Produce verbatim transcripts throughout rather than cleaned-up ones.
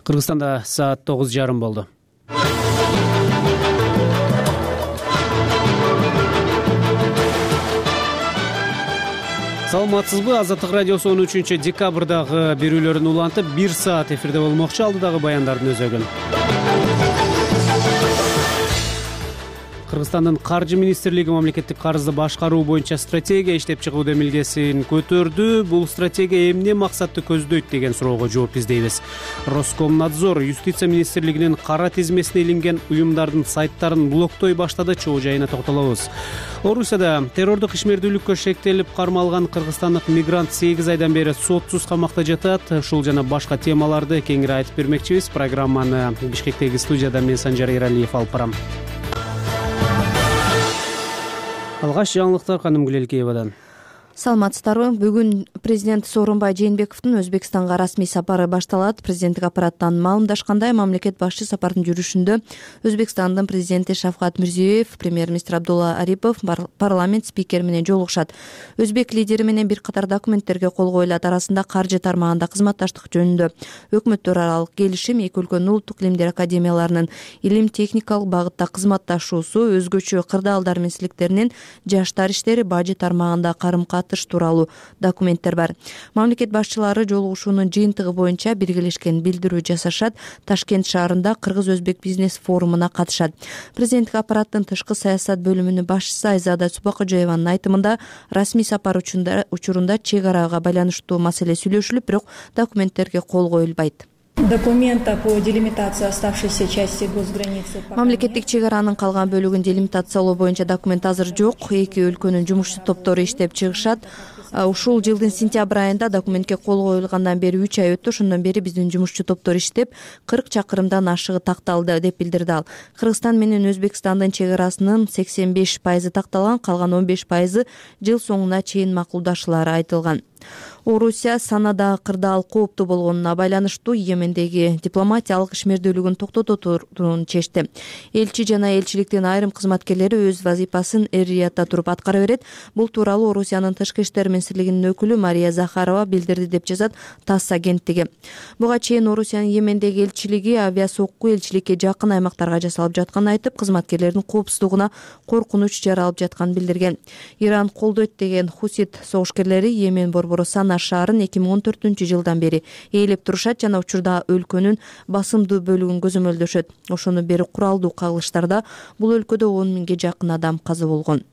Кыргызстанда саат тогуз жарым болду. Саламатсызбы? Азаттык радиосу он үчүнчү декабрдагы берүүлөрүн улантып, бир саат эфирде болмокчу. Алдыдагы баяндардын өзөгүн. Кыргызстандын Каржы министрлиги мамлекеттик карызды башкаруу боюнча стратегия иштеп чыгуу демилгесин көтөрдү. Бул стратегия эмне максатты көздөйт деген суроого жооп издейбиз. Роскомнадзор юстиция министрлигинин кара тизмесине илинген уюмдардын сайттарын блоктой баштады. Чоо жайына токтолобуз. Орусияда террордук ишмердүүлүккө шектелип кармалган кыргызстандык мигрант сегиз айдан бери сотсуз камакта жатат. Ушул жана башка темаларды кеңири айтып бермекчибиз. Программаны Бишкектеги студияда мен Санжар Эралиев алып барам. Алгач жаңылыктар Каным Гүлелкеевадан. Саламатсыздарбы? Бүгүн президент Сооронбай Жээнбековдун Өзбекстанга расмий сапары башталат. Президенттик аппараттан маалымдашкандай, мамлекет башчы сапардын жүрүшүндө Өзбекстандын президенти Шавкат Мирзиёев, премьер-министр Абдулла Арипов, парламент спикери менен жолугушат. Өзбек лидери менен бир катар документтерге кол коюлат. Арасында каржы тармагында кызматташтык жөнүндө өкмөттөр аралык келишим, эки өлкөнүн улуттук илимдер академияларынын илим техникалык багытта кызматташуусу, өзгөчө кырдаалдар менен силиктеринин жаштар иштери, бажы тармагында карым-катыш тууралуу документтер бар. Мамлекет башчылары жолугушуунун жыйынтыгы боюнча биргелешкен билдирүү жасашат. Ташкент шаарында Кыргыз-Өзбек бизнес форумуна катышат. Президенттик аппараттын тышкы саясат бөлүмүнүн башчысы Айзада Супакожоеванын айтымында, расмий сапар учурунда чек арага байланыштуу маселе сүйлөшүлүп, бирок документтерге кол коюлбайт. Документа по делимитации оставшейся части госграницы. Мамлекеттик чек аранын калган бөлүгүн делимитациялоо боюнча документ азыр жок. Эки өлкөнүн жумушчу топтору иштеп чыгышат. Ушул жылдын сентябрь айында документке кол коюлгандан бери үч ай өттү. Ошондон бери биздин жумушчу топтор иштеп кырк чакырымдан ашыгы такталды, деп билдирди ал. Кыргызстан менен Өзбекстандын чек арасынын сексен беш пайызы такталган, калган он беш пайызы жыл соңуна чейин макулдашылары айтылган. Орусия санадагы кырдаал кооптуу болгонуна байланыштуу Йемендеги дипломатиялык ишмердүүлүгүн токтотууну чечти. Элчи жана элчиликтин айрым кызматкерлери өз вазифасын эр-Риядда туруп аткара берет. Бул тууралуу Орусиянын тышкы иштер министрлигинин өкүлү Мария Захарова билдирди, деп жазат ТАСС агенттиги. Буга чейин Орусиянын Йемендеги элчилиги авиасокку элчиликке жакын аймактарга жасалып жатканын айтып, кызматкерлердин коопсуздугуна коркунуч жаралып жатканын билдирген. Иран колдойт деген хусит согушкерлери Йемен борбору Сана шаарын эки миң он төртүнчү жылдан бери ээлеп турушат жана учурда өлкөнүн басымдуу бөлүгүн көзөмөлдөшөт. Ошону бери куралдуу кагылыштарда бул өлкөдө он миңге жакын адам каза болгон.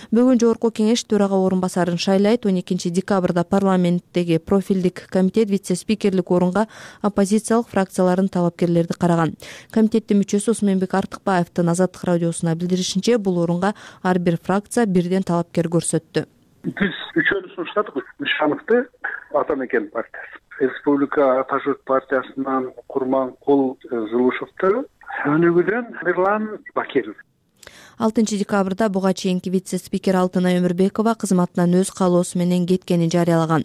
Бүгүн жогорку кеңеш төрага орун басарын шайлайт. он экинчи декабрда парламенттеги профилдик комитет вице-спикерлик орунга оппозициялык фракциялардын талапкерлерди караган. Комитеттин мүчөсү Осмонбек Артыкбаевдин Азаттык радиосуна билдиришинче, бул орунга ар бир фракция бирден талапкер көрсөттү. Биз үчөөнү сунуштадык. Ишановду Ата Мекен партиясы, Республика Ата Журт партиясынан Курманкул Жылушевду, өнүгүүдөн Мирлан Бакиров. алтынчы декабрда буга чейинки вице-спикер Алтынай Өмүрбекова кызматынан өз каалоосу менен кеткенин жарыялаган.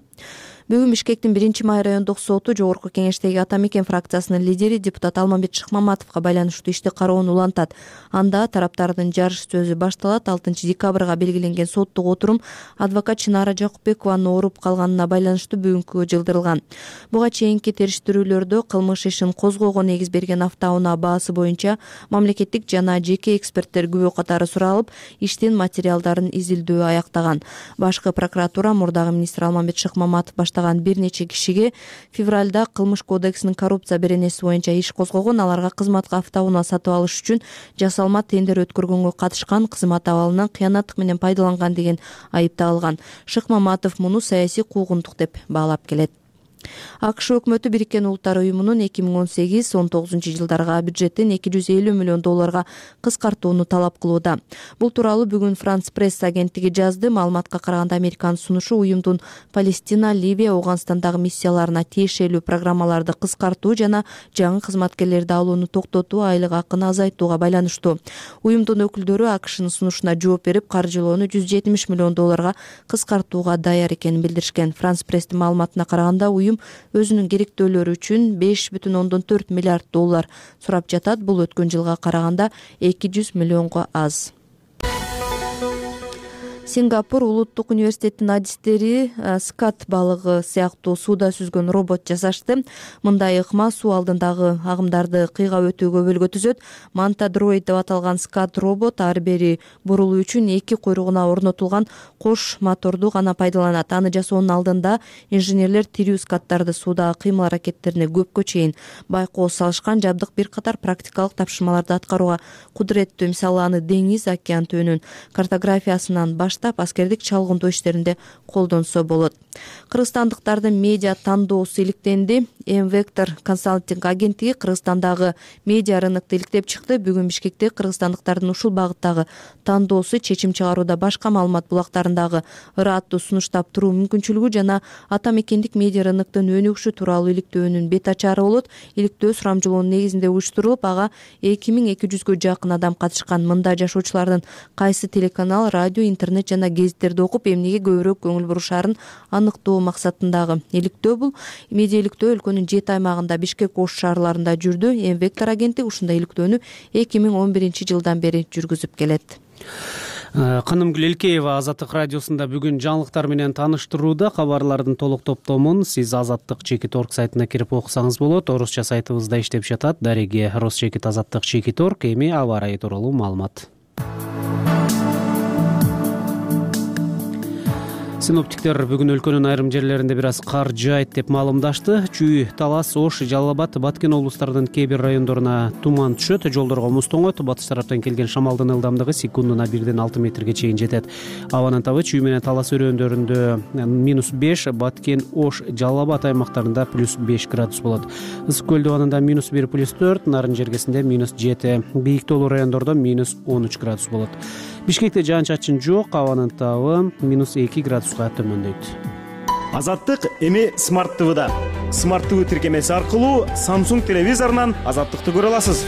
Бүгүн Бишкектин биринчи май райондук соту жогорку кеңештеги Ата Мекен фракциясынын лидери депутат Алмамбет Шыкмаматовго байланыштуу ишти кароону улантат. Анда тараптардын жарыш сөзү башталат. алтынчы декабрга белгиленген соттук отурум адвокат Чынара Жакупбекованын ооруп калганына байланыштуу бүгүнкүгө жылдырылган. Буга чейинки териштирүүлөрдө кылмыш ишин козгоого негиз берген автоунаа баасы боюнча мамлекеттик жана жеке эксперттер күбө катары суралып, иштин материалдарын изилдөө аяктаган. Башкы прокуратура мурдагы министр Алмамбет Шыкмаматов баштаган бир нече кишиге февралда кылмыш кодексинин коррупция беренеси боюнча иш козгогон. Аларга кызматка автоунаа сатып алыш үчүн жасалма тендер өткөргөнгө катышкан, кызмат абалынан кыянаттык менен пайдаланган деген айып тагылган. Шыкмаматов муну саясий куугунтук деп баалап келет. АКШ өкмөтү Бириккен Улуттар уюмунун эки миң он сегиз он тогузунчу жылдарга бюджетин эки жүз элүү миллион долларга кыскартууну талап кылууда. Бул тууралуу бүгүн Франс пресс агенттиги жазды. Маалыматка караганда, Американын сунушу уюмдун Палестина, Ливия, Ауганстандагы миссияларына тиешелүү программаларды кыскартуу жана жаңы кызматкерлерди алууну токтотуу, айлык акыны азайтууга байланыштуу. Уюмдун өкүлдөрү АКШнын сунушуна жооп берип, каржылоону жүз жетимиш миллион долларга кыскартууга даяр экенин билдиришкен. Франс пресстин маалыматына караганда, уюм өзүнүн керектөөлөрү үчүн беш бүтүн ондон төрт миллиард доллар сурап жатат. Бул өткөн жылга караганда эки жүз миллионго аз. Сингапур улуттук университетинин адистери скат балыгы сыяктуу сууда сүзгөн робот жасашты. Мындай ыкма суу алдындагы агымдарды кыйгап өтүүгө бөлгө түзөт. Манта дроид деп аталган скат робот ары бери бурулуу үчүн эки куйругуна орнотулган кош моторду гана пайдаланат. Аны жасоонун алдында инженерлер тирүү скаттарды суудагы кыймыл аракеттерине көпкө чейин байкоо салышкан. Жабдык бир катар практикалык тапшырмаларды аткарууга кудуреттүү. Мисалы, аны деңиз, океан түбүнүн картографиясынан баштап аскердик чалгындоо иштеринде колдонсо болот. Кыргызстандыктардын медиа тандоосу иликтенди. М-Вектор консалтинг агенттиги Кыргызстандагы медиа рынокто иликтеп чыкты. Бүгүн Бишкекте кыргызстандыктардын ушул багыттагы тандоосу чечим чыгарууда башка маалымат булактарындагы ырааттуу сунуштап туруу мүмкүнчүлүгү жана ата мекендик медиа рыноктун өнүгүшү тууралуу иликтөөнүн бет ачары болот. Иликтөө сурамжылоонун негизинде уюштурулуп, ага эки миң эки жүзгө жакын адам катышкан. Мында жашоочулардын кайсы телеканал, радио, интернет жана гезиттерди окуп, эмнеге көбүрөөк көңүл бурушаарын аныктоо максатындагы иликтөө. Бул медиа иликтөө өлкөнүн жети аймагында Бишкек, Ош шаарларында жүрдү. М-Вектор агенттиги ушундай иликтөөнү эки миң он биринчи жылдан бери жүргүзүп келет. Канымгүл Элкеева Азаттык радиосунда бүгүн жаңылыктар менен тааныштырууда. Кабарлардын толук топтомун сиз Азаттык чекит орг сайтына кирип окусаңыз болот. Орусча сайтыбызда иштеп жатат. Дареги Росчекит Азаттык чекит орг. Эми аба ырайы тууралуу маалымат. Синоптиктер бүгүн өлкөнүн айрым жерлеринде бир аз кар жаайт деп маалымдашты. Чүй, Талас, Ош, Жалал Абад, Баткен облустарынын кээ бир райондоруна туман түшөт, жолдорго муз тоңот. Батыш тараптан келген шамалдын ылдамдыгы секундуна бирден алты метрге чейин жетет. Абанын табы Чүй менен Талас өрөөндөрүндө минус беш, Баткен, Ош, Жалал Абад аймактарында плюс беш градус болот. Ысык көл дубанында минус бир, плюс төрт, Нарын жергесинде минус жети, бийик тоолуу райондордо минус он үч градус болот. Бишкекте жаан-чачын жок, абанын табы минус эки градуска төмөндөйт. Азаттык эми Смарт ТВда. Смарт ТВ тиркемеси аркылуу Samsung телевизорунан Азаттыкты көрө аласыз.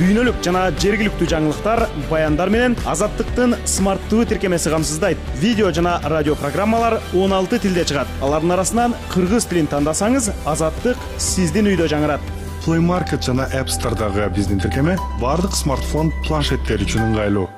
Дүйнөлүк жана жергиликтүү жаңылыктар, баяндар менен Азаттыктын Смарт ТВ тиркемеси камсыздайт. Видео жана радио программалар он алты тилде чыгат. Алардын арасынан кыргыз тилин тандасаңыз, Азаттык сиздин үйдө жаңырат. Play Market жана App Store'дагы биздин тиркеме бардык смартфон, планшеттер үчүн ыңгайлуу.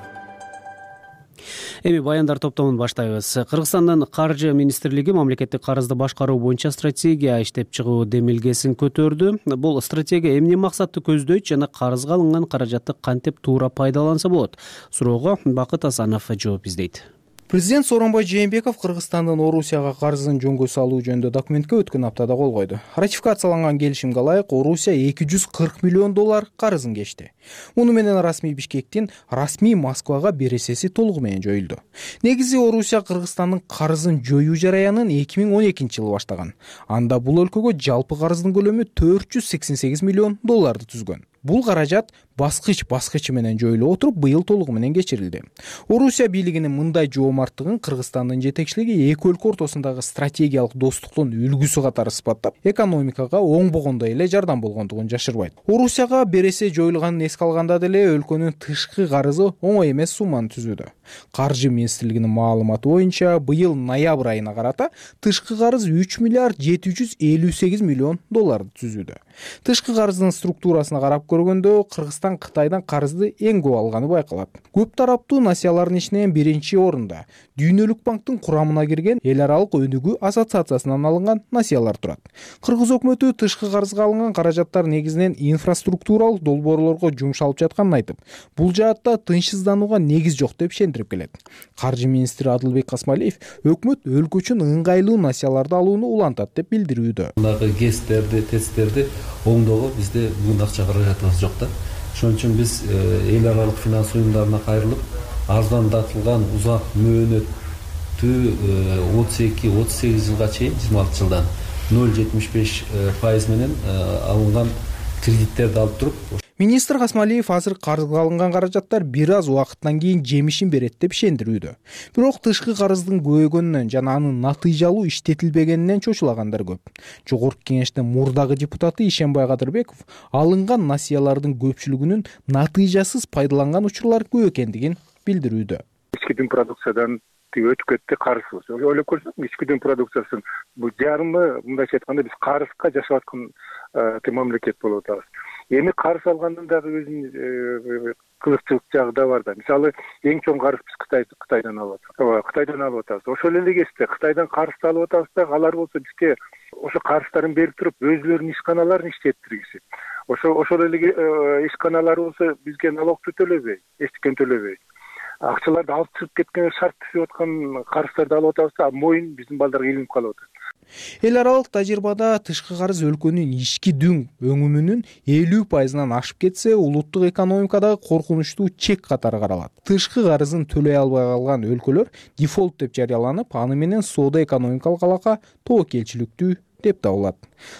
Эми баяндар топтомун баштайбыз. Кыргызстандын Каржы министрлиги мамлекеттик карызды башкаруу боюнча стратегия иштеп чыгуу демилгесин көтөрдү. Бул стратегия эмне максатты көздөйт жана карызга алынган каражатты кантип туура пайдаланса болот? Суроого Бакыт Асанов жооп издейт. Президент Сооронбай Жээнбеков Кыргызстандын Орусияга карызын жөнгө салуу жөнүндө документке өткөн аптада кол койду. Ратификацияланган келишимге ылайык Орусия эки жүз кырк миллион доллар карызын кечти. Муну менен расмий Бишкектин, расмий Москвага бересеси толугу менен жоюлду. Негизи Орусия Кыргызстандын карызын жоюу жараянын эки миң он экинчи жылы баштаган. Анда бул өлкөгө жалпы карыздын көлөмү төрт жүз сексен сегиз миллион долларды түзгөн. Бул каражат баскыч баскычы менен жоюлуп отуруп, быйыл толугу менен кечирилди. Орусия бийлигинин мындай жоомарттыгын Кыргызстандын жетекчилиги эки өлкө ортосундагы стратегиялык достуктун үлгүсү катары сыпаттап, экономикага оңбогондой эле жардам болгондугун жашырбайт. Орусияга бересе жоюлганын эске алганда деле өлкөнүн тышкы карызы оңой эмес сумманы түзүүдө. Каржы министрлигинин маалыматы боюнча быйыл ноябрь айына карата тышкы карыз үч миллиард жети жүз элүү сегиз миллион долларды түзүүдө. Тышкы карыздын структурасына карап көргөндө Кыргызстан Кытайдан карызды эң көп алганы байкалат. Көп тараптуу насиялардын ичинен биринчи орунда Дүйнөлүк банктын курамына кирген Эл аралык өнүгүү ассоциациясынан алынган насиялар турат. Кыргыз өкмөтү тышкы карызга алынган каражаттар негизинен инфраструктуралык долбоорлорго жумшалып жатканын айтып, бул жаатта тынчсызданууга негиз жок деп ишендирип келет. Каржы министри Адылбек Касмалиев өкмөт өлкө үчүн ыңгайлуу насияларды алууну улантат деп билдирүүдө. Мындагы ГЭСтерди, ТЭЦтерди оңдоого бизде бүгүн акча каражатыбыз жок да. Ошон үчүн биз эл аралык финанс уюмдарына кайрылып, арзандатылган узак мөөнөттүү отуз эки отуз сегиз жылга чейин жыйырма алты жылдан ноль жетимиш беш пайыз менен алынган кредиттерди алып туруп. Министр Касмалиев азыр карызга алынган каражаттар бир аз убакыттан кийин жемишин берет деп ишендирүүдө. Бирок тышкы карыздын көбөйгөнүнөн жана анын натыйжалуу иштетилбегенинен чочулагандар көп. Жогорку кеңештин мурдагы депутаты Ишенбай Кадырбеков алынган насиялардын көпчүлүгүнүн натыйжасыз пайдаланган учурлар көп экендигин билдирүүдө. Ички дүң продукциядан өтүп кетти карызбыз. Ойлоп көрсөк, ички дүң продукциясын бул жарымы, мындайча айтканда биз карызга жашап аткан мамлекет болуп атабыз. Эми карыз алгандын дагы өзүнүн кызыкчылык жагы да бар да. Мисалы эң чоң карыз биз Кытай Кытайдан алып атабыз. Ооба, Кытайдан алып атабыз. Ошол эле кезде Кытайдан карызды алып атабыз да, алар болсо бизге ошо карыздарын берип туруп өзүлөрүнүн ишканаларын иштеттиргизип, ошо ошол эле ишканалар болсо бизге налогду төлөбөй, эчтекен төлөбөй. Акчаларды алып чыгып кеткен, шарт түзүп аткан карыздарды алып атабыз да, моюн биздин балдарга илинип калып атат. Эл аралык тажрыйбада тышкы карыз өлкөнүн ички дүң өңүмүнүн элүү пайызынан ашып кетсе, улуттук экономикадагы коркунучтуу чек катары каралат. Тышкы карызын төлөй албай калган өлкөлөр дефолт деп жарыяланып, аны менен соода экономикалык алака тобокелчиликтүү деп табылат.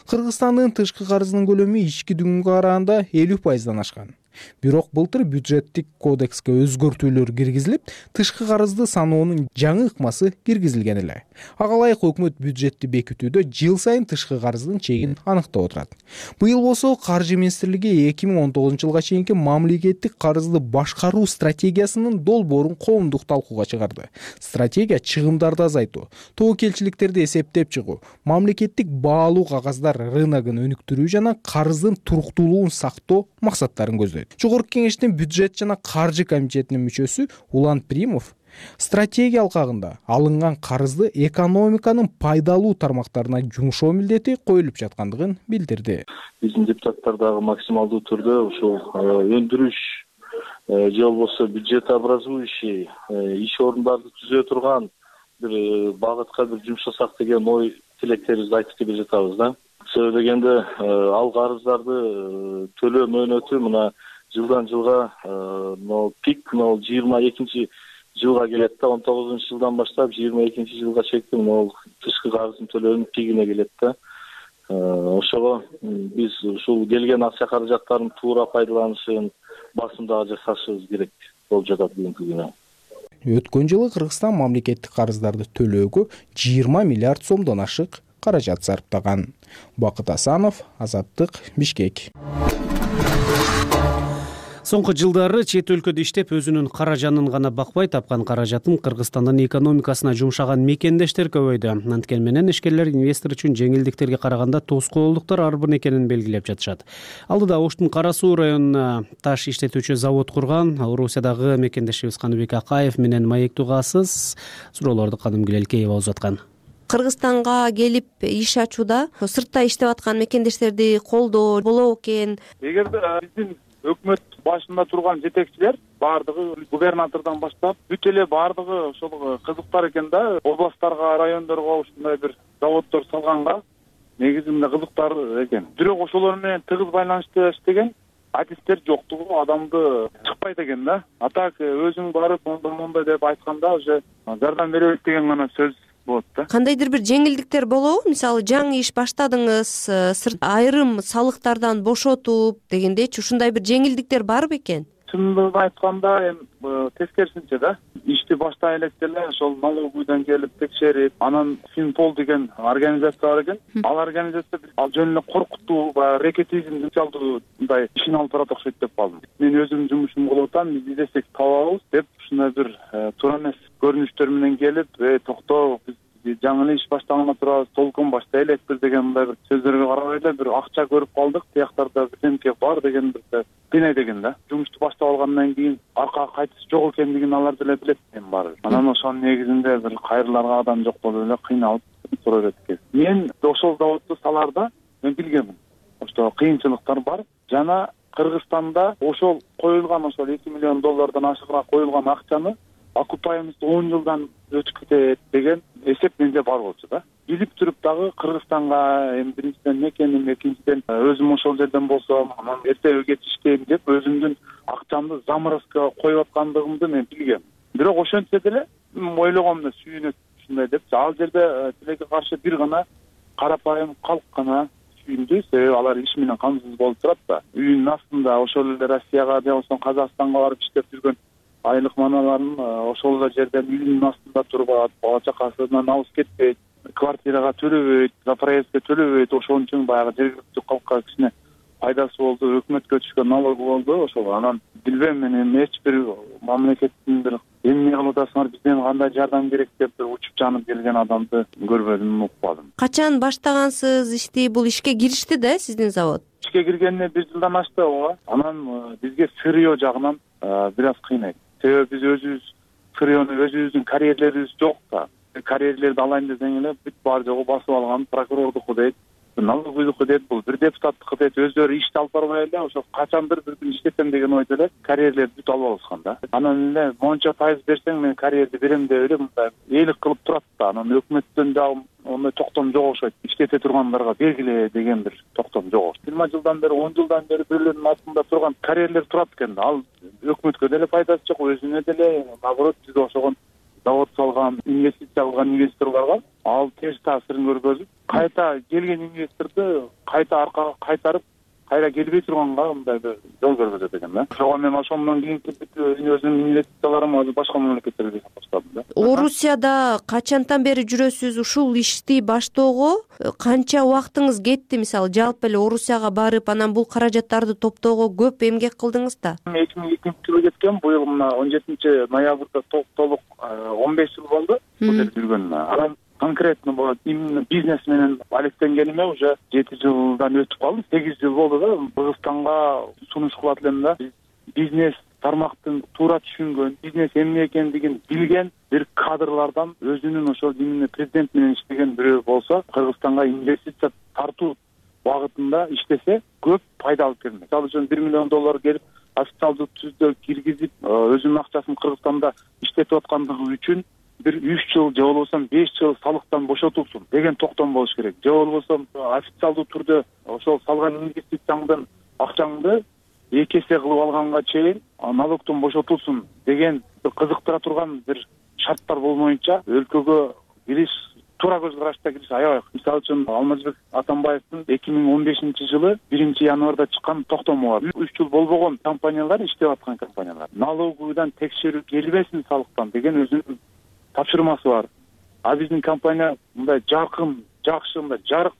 Кыргызстандын тышкы карызынын көлөмү ички дүнгө караганда элүү пайыздан ашкан. Бирок былтыр бюджеттик кодекске өзгөртүүлөр киргизилип, тышкы карызды саноонун жаңы ыкмасы киргизилген эле. Ага ылайык өкмөт бюджетти бекитүүдө жыл сайын тышкы карыздын чегин аныктап отурат. Быйыл болсо Каржы министрлиги эки миң он тогузунчу жылга чейинки мамлекеттик карызды башкаруу стратегиясынын долбоорун коомдук талкууга чыгарды. Стратегия чыгымдарды азайтуу, тобокелчиликтерди эсептеп чыгуу, мамлекеттик баалуу кагаздар рыногун өнүктүрүү жана карыздын туруктуулугун сактоо максаттарын көздөйт. Жогорку кеңештин бюджет жана каржы комитетинин мүчөсү Улан Примов стратегия алкагында алынган карызды экономиканын пайдалуу тармактарына жумшоо милдети коюлуп жаткандыгын билдирди. Биздин депутаттар дагы максималдуу түрдө ушул өндүрүш же болбосо бюджетообразующий иш орундарды түзө турган бир багытка бир жумшасак деген ой тилектерибизди айтып келе жатабыз да. Себеби дегенде ал карыздарды төлөө мөөнөтү мына жылдан жылга могу пик могу жыйырма экинчи жылга келет да, он тогузунчу жылдан баштап жыйырма экинчи жылга чейин могу тышкы карыздын төлөөнүн пигине келет да. Ошого биз ушул келген акча каражаттарын туура пайдаланышын басымдагы жасашыбыз керек болуп жатат бүгүнкү күнү. Өткөн жылы Кыргызстан мамлекеттик карыздарды төлөөгө жыйырма миллиард сомдон ашык каражат сарптаган. Бакыт Асанов, Азаттык, Бишкек. Соңку жылдары чет өлкөдө иштеп өзүнүн каражанын гана бакпай, тапкан каражатын Кыргызстандын экономикасына жумшаган мекендештер көбөйдү. Анткени менен ишкерлер инвестор үчүн жеңилдиктерге караганда тоскоолдуктар арбын экенин белгилеп жатышат. Алдыда Оштун Кара Суу районуна таш иштетүүчү завод курган Орусиядагы мекендешибиз Каныбек Акаев менен маектүү касыз суроолорду Канымгүл Элкеева узаткан. Кыргызстанга келип иш ачууда сыртта иштеп аткан мекендештерди колдоо болобу экен? Эгерде биздин өкмөт башында турган жетекчилер баардыгы губернатордон баштап бүт эле баардыгы ошол кызыктар экен да, областтарга, райондорго ушундай бир заводдор салганга негизинде кызыктар экен. Бирок ошолор менен тыгыз байланышта иштеген адистер жоктугу адамды чыкпайт экен да. А так өзүң барып мондай мондай деп айтканда уже жардам беребиз деген гана сөз болот да. Кандайдыр бир жеңилдиктер болобу? Мисалы, жаңы иш баштадыңыз, сырт айрым салыктардан бошотуп дегендейчи, ушундай бир жеңилдиктер барбы экен? Чындыгын айтканда, эми тескерисинче да, ишти баштай электе эле ошол налоговыйдан келип текшерип, анан Финпол деген организация бар экен. Ал организация ал жөн эле коркутуу, баягы рекетизм жалдуу мындай ишин алып барат окшойт деп калдым. Мен өзүм жумушум кылып атам, биз издесек табабыз деп ушундай бир туура эмес көрүнүштөр менен келип, "Эй, токтоо, биз жаңы эле иш баштаганда турабыз, толкун баштай элекпиз" деген мындай бир сөздөргө карабай эле бир акча көрүп калдык, тияктарда бирдемке бар деген бир кыйнай деген да. Жумушту баштап алгандан кийин аркага кайтыш жок экендигин алар деле билет экен баары. Анан ошонун негизинде бир кайрыларга адам жок болуп эле кыйналып тура берет экен. Мен ошол заводду саларда мен билгенмин. Ошто кыйынчылыктар бар жана Кыргызстанда ошол коюлган ошол эки миллион доллардан ашыгыраак коюлган акчаны окупаемость он жылдан өтүп кетет деген эсеп менде бар болчу да. Билип туруп дагы Кыргызстанга эми биринчиден мекеним, экинчиден өзүм ошол жерден болсом, анан эртеге кетиштейм деп өзүмдүн акчамды заморозкага коюп аткандыгымды мен билгем. Бирок ошентсе деле ойлогом да сүйүнөт ушундай деп. Ал жерде тилекке каршы бир гана карапайым калк гана сүйүндү, себеби алар иш менен камсыз болуп турат да. Үйүнүн астында ошол эле Россияга же болбосо Казакстанга барып иштеп жүргөн айлык маналарын ошол эле жерден үйүнүн астында туруп алат, бала чакасынан алыс кетпейт, квартирага төлөбөйт, за проездге төлөбөйт. Ошон үчүн баягы жергиликтүү калкка кичине пайдасы болду, өкмөткө түшкөн налог болду. Ошол анан билбейм, мен эми эч бир мамлекеттин бир эмне кылып атасыңар, бизден кандай жардам керек деп бир учуп жанып келген адамды көрбөдүм, укпадым. Качан баштагансыз ишти? Бул ишке киришти да сиздин завод? Ишке ишке киргенине бир жылдан ашты ооба. Анан бизге сырье жагынан бир аз кыйнайт. Себеби биз өзүбүз сырьену өзүбүздүн карьерлерибиз жок да. Карьерлерди алайын десең эле бүт баары жогу басып алган прокурордуку дейт, налоговыйдуку дейт, бул бир депутаттыкы дейт, өздөрү ишти алып барбай эле ошо качандыр бир күн иштесем деген ойдо эле карьерлерди бүт алып алышкан да. Анан эле монча пайыз берсең мен карьерди берем деп эле мындай ээлик кылып турат да. Анан өкмөттөн дагы ондай токтом жок окшойт. Иштете тургандарга бергиле деген бир токтом жок. жыйырма жылдан бери, он жылдан бери бирлеринин астында турган карьерлер турат экен. Ал өкмөткө деле пайдасы жок, өзүнө деле наоборот бизге ошогон завод салган, инвестиция кылган инвесторлорго ал терс таасирин көргөзүп, кайта келген инвесторду кайта аркага кайтарып, кайра келбей турганга мындай бир жол көргөзөт экен да. Ошого мен ошондон кийинки өзүмдүн инвестицияларым азыр башка мамлекеттерге жасап баштадым да. Орусияда качантан бери жүрөсүз? Ушул ишти баштоого канча убактыңыз кетти? Мисалы, жалпы эле Орусияга барып, анан бул каражаттарды топтоого көп эмгек кылдыңыз да? эки миң экинчи жылы кеткен, быйыл мына он жетинчи ноябрда толук он беш жыл болду бул жерде жүргөнүмө. Анан конкретно болот именно бизнес менен алектенгениме уже жети жылдан өтүп калды, сегиз жыл болду да. Кыргызстанга сунуш кылат элем да. Бизнес тармактын туура түшүнгөн, бизнес эмне экендигин билген бир кадрлардан өзүнүн ошол именно президент менен иштеген бирөө болсо, Кыргызстанга инвестиция тартуу багытында иштесе көп пайда алып келмек. Мисалы үчүн бир миллион доллар келип официалдуу түздө киргизип, өзүнүн акчасын Кыргызстанда иштетип аткандыгы үчүн бир үч жыл же болбосо беш жыл салыктан бошотулсун деген токтом болуш керек. Же болбосо официалдуу түрдө ошол салган инвестицияңдын акчаңды эки эсе кылып алганга чейин налогтон бошотулсун деген бир кызыктыра турган бир шарттар болмоюнча өлкөгө кириш, туура көз карашта кириш аябай. Мисалы үчүн Алмазбек Атамбаевдин эки миң он бешинчи жылы биринчи январда чыккан токтому бар. үч жыл болбогон компаниялар, иштеп аткан компаниялар налоговыйдан текшерүү келбесин салыктан деген өзүнүн тапшырмасы бар. А биздин компания мындай жаркын, жакшы, мындай жарык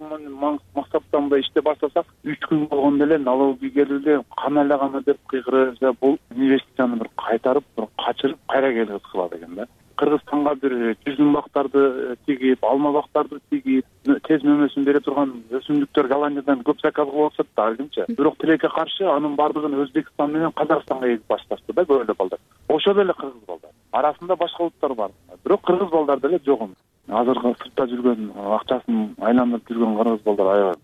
максатта мындай иште баштасак, үч күн болгондо эле налоговый келди, кана эле кана деп кыйгырып, бул инвестицияны бир кайтарып, бир качырып, кайра келип кылат экен да. Кыргызстанга бир жүзүм бактарды тигип, алма бактарды тигип, тез мөмөсүн бере турган өсүмдүктөр Голландиядан көп заказ кылып атышат да алгынча. Бирок тилекке каршы анын бардыгын Өзбекстан менен Казакстанга эгип башташты да көп эле балдар. Ошо деле кыргыз балдар. Арасында башка улуттар бар. Бирок кыргыз балдар деле жок. Азыркы сыртта жүргөн, акчасын айландырып жүргөн кыргыз балдар аябай.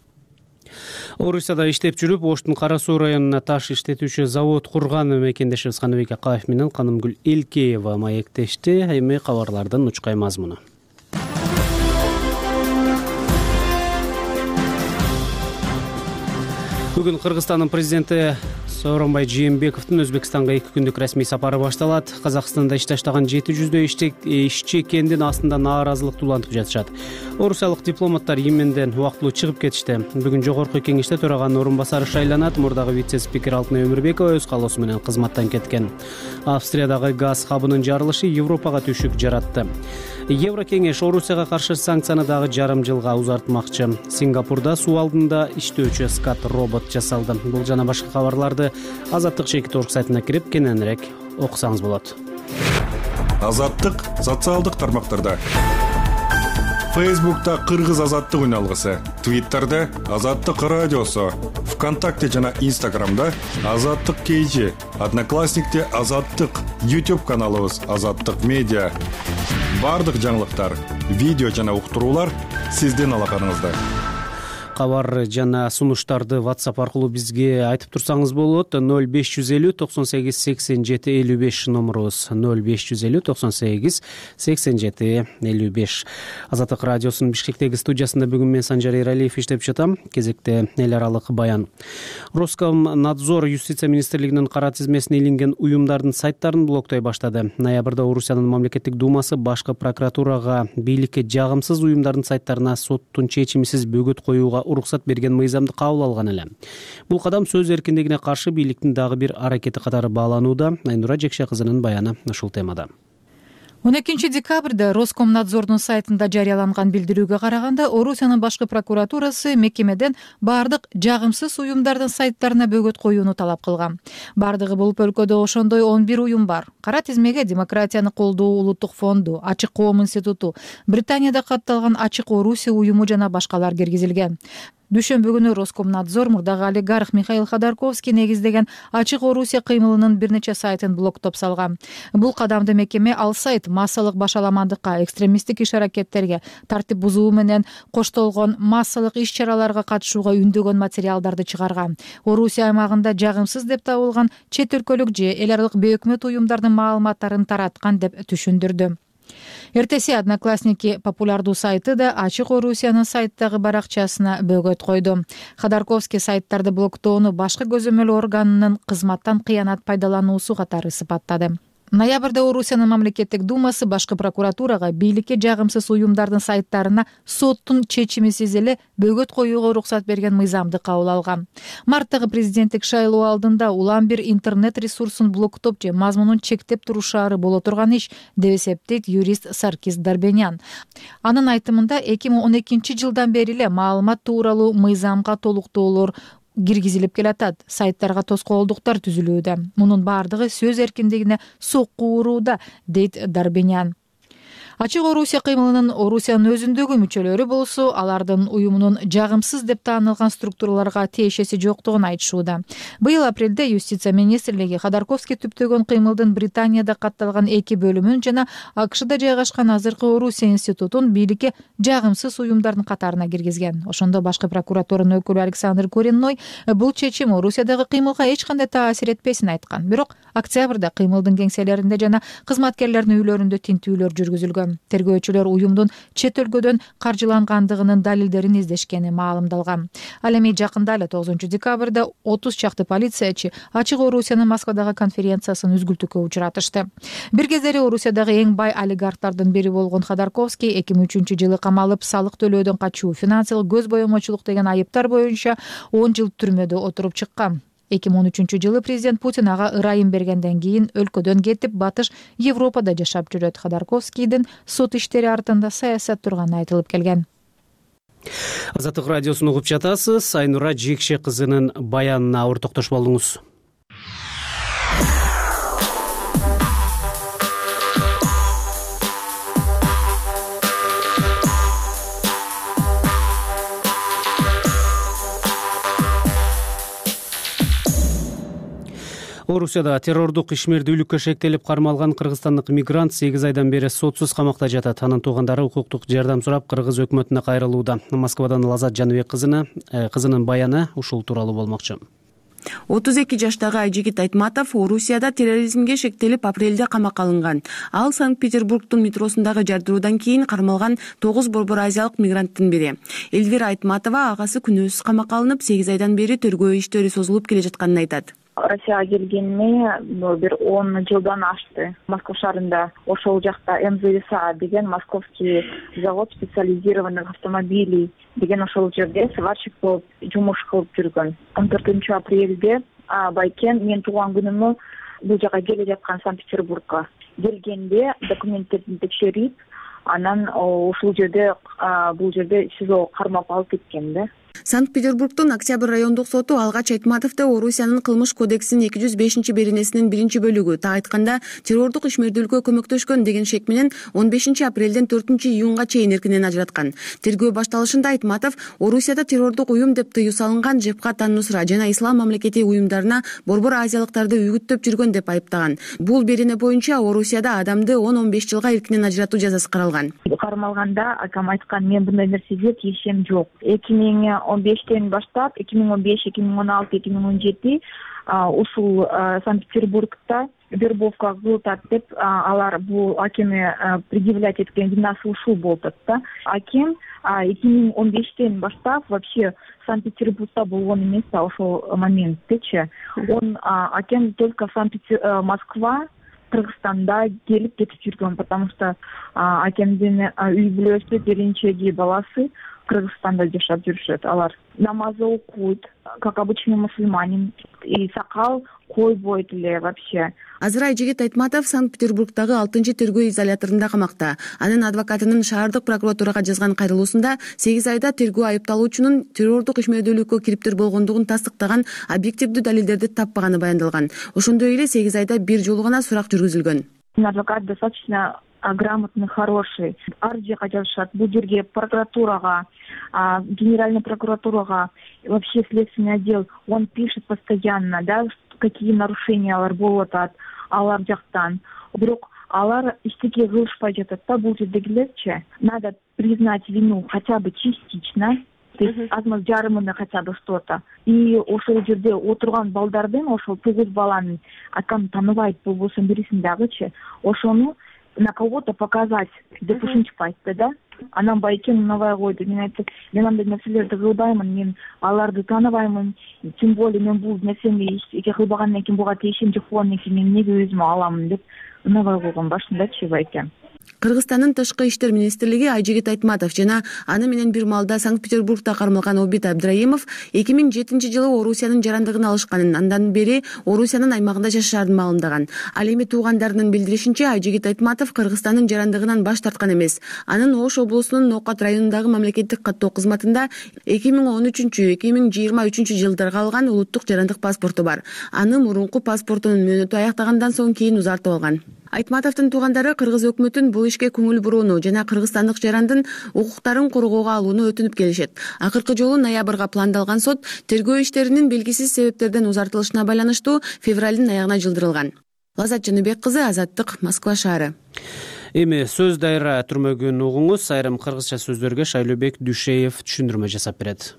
Орусияда иштеп жүрүп, Оштун Кара Суу районуна таш иштетүүчү завод курган мекендешибиз Каныбек Акаев менен Канымгүл Элкеева маектешти. Эми кабарлардын учкай мазмуну. Бүгүн Кыргызстандын президенти Сооронбай Жээнбековдун Өзбекстанга эки күндүк расмий сапары башталат. Казакстанда иш таштаган жети жүздөй ишчи кендин астында нааразылыкты улантып жатышат. Орусиялык дипломаттар Йеменден убактылуу чыгып кетишти. Бүгүн жогорку кеңеште төраганын орун басары шайланат. Мурдагы вице-спикер Алтынай Өмүрбекова өз каалоосу менен кызматтан кеткен. Австриядагы газ хабынын жарылышы Европага түшүк жаратты. Еврокеңеш Орусияга каршы санкцияны дагы жарым жылга узартмакчы. Сингапурда суу алдында иштөөчү скат робот жасалды. Бул жана башка кабарларды Азаттык чекит орг сайтына кирип кененирээк окусаңыз болот. Азаттык социалдык тармактарда. Фейсбукта Кыргыз азаттык үналгысы, Твиттерде Азаттык радиосу, ВКонтакте жана Инстаграмда Азаттык кейжи, Одноклассникте Азаттык, YouTube каналыбыз Азаттык медиа. Бардык жаңылыктар, видео жана уктуруулар сиздин алаканыңызда. Кабар жана сунуштарды WhatsApp аркылуу бизге айтып турсаңыз болот. ноль беш жүз элүү токсон сегиз сексен жети элүү беш номерубуз. ноль беш жүз элүү токсон сегиз сексен жети элүү беш. Азаттык радиосунун Бишкектеги студиясында бүгүн мен Санжар Эралиев иштеп жатам. Кезекте эл аралык баян. Роскомнадзор Юстиция министрлигинин кара тизмесине илинген уюмдардын сайттарын блоктой баштады. Ноябрда Орусиянын мамлекеттик думасы башкы прокуратурага бийликке жагымсыз уюмдардын сайттарына соттун чечимисиз бөгөт коюуга уруксат берген мыйзамды кабыл алган эле. Бул кадам сөз эркиндигине каршы бийликтин дагы бир аракети катары бааланууда. Айнура Жекше кызынын баяны ушул темада. он экинчи декабрда Роскомнадзордун сайтында жарыяланган билдирүүгө караганда, Орусиянын башкы прокуратурасы мекемеден бардык жагымсыз уюмдардын сайттарына бөгөт коюуну талап кылган. Бардыгы болуп өлкөдө ошондой он бир уюм бар. Кара тизмеге Демократияны колдоо улуттук фонду, Ачык коом институту, Британияда катталган Ачык Орусия уюму жана башкалар киргизилген. дүйшөмбү күнү Роскомнадзор мурдагы олигарх Михаил Ходорковский негиздеген Ачык Орусия кыймылынын бир нече сайтын блоктоп салган. Бул кадамды мекеме ал сайт массалык башаламандыкка, экстремисттик иш-аракеттерге, тартип бузуу менен коштолгон массалык иш-чараларга катышууга үндөгөн материалдарды чыгарган. Орусия аймагында жагымсыз деп табылган чет өлкөлүк же эл аралык бейөкмөт уюмдардын маалыматтарын тараткан деп түшүндүрдү. Эртеси Одноклассники популярдуу сайты да Ачык Орусиянын сайттагы баракчасына бөгөт койду. Ходорковский сайттарды блоктоону башкы көзөмөл органынын кызматтан кыянат пайдалануусу катары сыпаттады. Ноябрда Орусиянын мамлекеттик думасы башкы прокуратурага бийликке жагымсыз уюмдардын сайттарына соттун чечимисиз эле бөгөт коюуга уруксат берген мыйзамды кабыл алган. Марттагы президенттик шайлоо алдында улам бир интернет ресурсун блоктоп же мазмунун чектеп турушаары боло турган иш, деп эсептейт юрист Саркис Дарбенян. Анын айтымында эки миң он экинчи жылдан бери эле маалымат тууралуу мыйзамга толуктоолор киргизилип келатат, сайттарга тоскоолдуктар түзүлүүдө. Мунун баардыгы сөз эркиндигине сокку урууда, дейт Дарбенян. Ачык Орусия кыймылынын Орусиянын өзүндөгү мүчөлөрү болсо, алардын уюмунун жагымсыз деп таанылган структураларга тиешеси жоктугун айтышууда. Быйыл апрелде Юстиция министрлиги Ходорковский түптөгөн кыймылдын Британияда катталган эки бөлүмүн жана АКШда жайгашкан азыркы Орусия институтун бийликке жагымсыз уюмдардын катарына киргизген. Ошондо башкы прокуратуранын өкүлү Александр Коренной бул чечим Орусиядагы кыймылга эч кандай таасир этпесин айткан. Бирок октябрда кыймылдын кеңселеринде жана кызматкерлердин үйлөрүндө тинтүүлөр жүргүзүлгөн. Тергөөчүлөр уюмдун чет өлкөдөн каржылангандыгынын далилдерин издешкени маалымдалган. Ал эми жакында эле тогузунчу декабрда отуз чакты полициячы Ачык Орусиянын Москвадагы конференциясын үзгүлтүккө учуратышты. Бир кездери Орусиядагы эң бай олигархтардын бири болгон Ходорковский эки миң үчүнчү жылы камалып, салык төлөөдөн качуу, финансылык көз боемочулук деген айыптар боюнча он жыл түрмөдө отуруп чыккан. эки миң он үчүнчү жылы президент Путин ага ырайым бергенден кийин өлкөдөн кетип, батыш Европада жашап жүрөт. Ходорковскийдин сот иштери артында саясат турганы айтылып келген. Азаттык радиосун угуп жатасыз. Айнура Жекше кызынын баянына ауыр токтош болдуңуз. Орусияда террордук ишмердүүлүккө шектелип кармалган кыргызстандык мигрант сегиз айдан бери сотсуз камакта жатат. Анын туугандары укуктук жардам сурап кыргыз өкмөтүнө кайрылууда. Москвадан Лазат Жаныбек кызына кызынын баяны ушул тууралуу болмокчу. отуз эки жаштагы Айжигит Айтматов Орусияда терроризмге шектелип апрелде камакка алынган. Ал Санкт-Петербургдун метросундагы жардыруудан кийин кармалган тогуз борбор азиялык мигранттын бири. Элвира Айтматова агасы күнөөсүз камакка алынып, сегиз айдан бери тергөө иштери созулуп келе жатканын айтат. Россияга келгениме бир он жылдан ашты. Москва шаарында ошол жакта эм зэ эс а деген московский завод специализированных автомобилей деген ошол жерде сварщик болуп жумуш кылып жүргөн. он төртүнчү апрелде байкен мен тууган күнүмө бул жака келе жаткан Санкт-Петербургга келгенде документтерин текшерип, анан ушул жерде бул жерде СИЗО кармап алып кеткен да. Санкт-Петербургдун Октябрь райондук соту алгач Айтматовду Орусиянын кылмыш кодексинин эки жүз бешинчи беренесинин биринчи бөлүгү, так айтканда террордук ишмердүүлүккө көмөктөшкөн деген шек менен он бешинчи апрелден төртүнчү июнга чейин эркинен ажыраткан. Тергөө башталышында Айтматов Орусияда террордук уюм деп тыюу салынган Жебхат ан-Нусра жана Ислам мамлекети уюмдарына борбор азиялыктарды үгүттөп жүргөн деп айыптаган. Бул берене боюнча Орусияда адамды он он беш жылга эркинен ажыратуу жазасы каралган. Кармалганда акам айткан, мен мындай нерсеге тиешем жок. эки миң он бештен баштап эки миң он беш, эки миң он алты, эки миң он жети ушул Санкт-Петербургда вербовка кылып деп алар бул акемге предъявлять эткен винасы ушул болуп да. Акем эки миң он бештен баштап вообще Санкт-Петербургда болгон эмес ошол моменттечи. Он акем только Санкт-Петербург, Москва, Кыргызстанда келип кетип жүргөн, потому что акемдин үй бүлөсү, беринчеги баласы Кыргызстанда жашап жүрүшөт. Алар намаз окуйт, как обычный мусульманин, и сакал койбойт эле вообще. Азыр Айжигит Айтматов Санкт-Петербургдагы алтынчы тергөө изоляторунда камакта. Анын адвокатынын шаардык прокуратурага жазган кайрылуусунда сегиз айда тергөө айыпталуучунун террордук ишмердүүлүккө кириптир болгондугун тастыктаган объективдүү далилдерди таппаганы баяндалган. Ошондой эле сегиз айда бир жолу гана сурак жүргүзүлгөн. Адвокат достаточно грамотный, хороший. Ар жака жазышат. Бул жерге прокуратурага, генеральная прокуратурага, вообще следственный отдел, он пишет постоянно, да, какие нарушения алар болуп атат алар жактан. Бирок алар эчтеке кылышпай жатат да бул жердегилерчи. Надо признать вину хотя бы частично. То есть азмаз жарымында хотя бы что-то. И ошол жерде отурган балдардын, ошол тогуз баланын атканы тааныбайт болбосо бирисин дагычы, ошону на кого-то показать деп ушинтип айтты да. Анан байкен унабай койду. Мен айттым, мен андай нерселерди кылбаймын, мен аларды тааныбаймын. Тем более мен бул нерсени эке кылбагандан кийин буга тиешим жок болгондон кийин мен эмнеге өзүмө аламын деп унабай койгон башындачы байкен. Кыргызстандын Тышкы иштер министрлиги Айжигит Айтматов жана аны менен бир маалда Санкт-Петербургда кармалган Обид Абдраимов эки миң жетинчи жылы Орусиянын жарандыгын алышканын, андан бери Орусиянын аймагында жашашарын маалымдаган. Ал эми туугандарынын билдиришинче, Айжигит Айтматов Кыргызстандын жарандыгынан баш тарткан эмес. Анын Ош облусунун Ноокат районундагы мамлекеттик каттоо кызматында эки миң он үчүнчү эки миң жыйырма үчүнчү жылдарга алган улуттук жарандык паспорту бар. Аны мурунку паспортунун мөөнөтү аяктагандан соң кийин узартып алган. Айтматовдун туугандары Кыргыз өкмөтүн бул ишке көңүл бурууну жана кыргызстандык жарандын укуктарын коргоого алууну өтүнүп келишет. Акыркы жолу ноябрга пландалган сот тергөө иштеринин белгисиз себептерден узартылышына байланыштуу февралдын аягына жылдырылган. Лазат Жаныбек кызы, Азаттык, Москва шаары. Эми сөз дайра түрмөгүн угуңуз. Айрым кыргызча сөздөргө Шайлообек Дүйшеев түшүндүрмө жасап берет.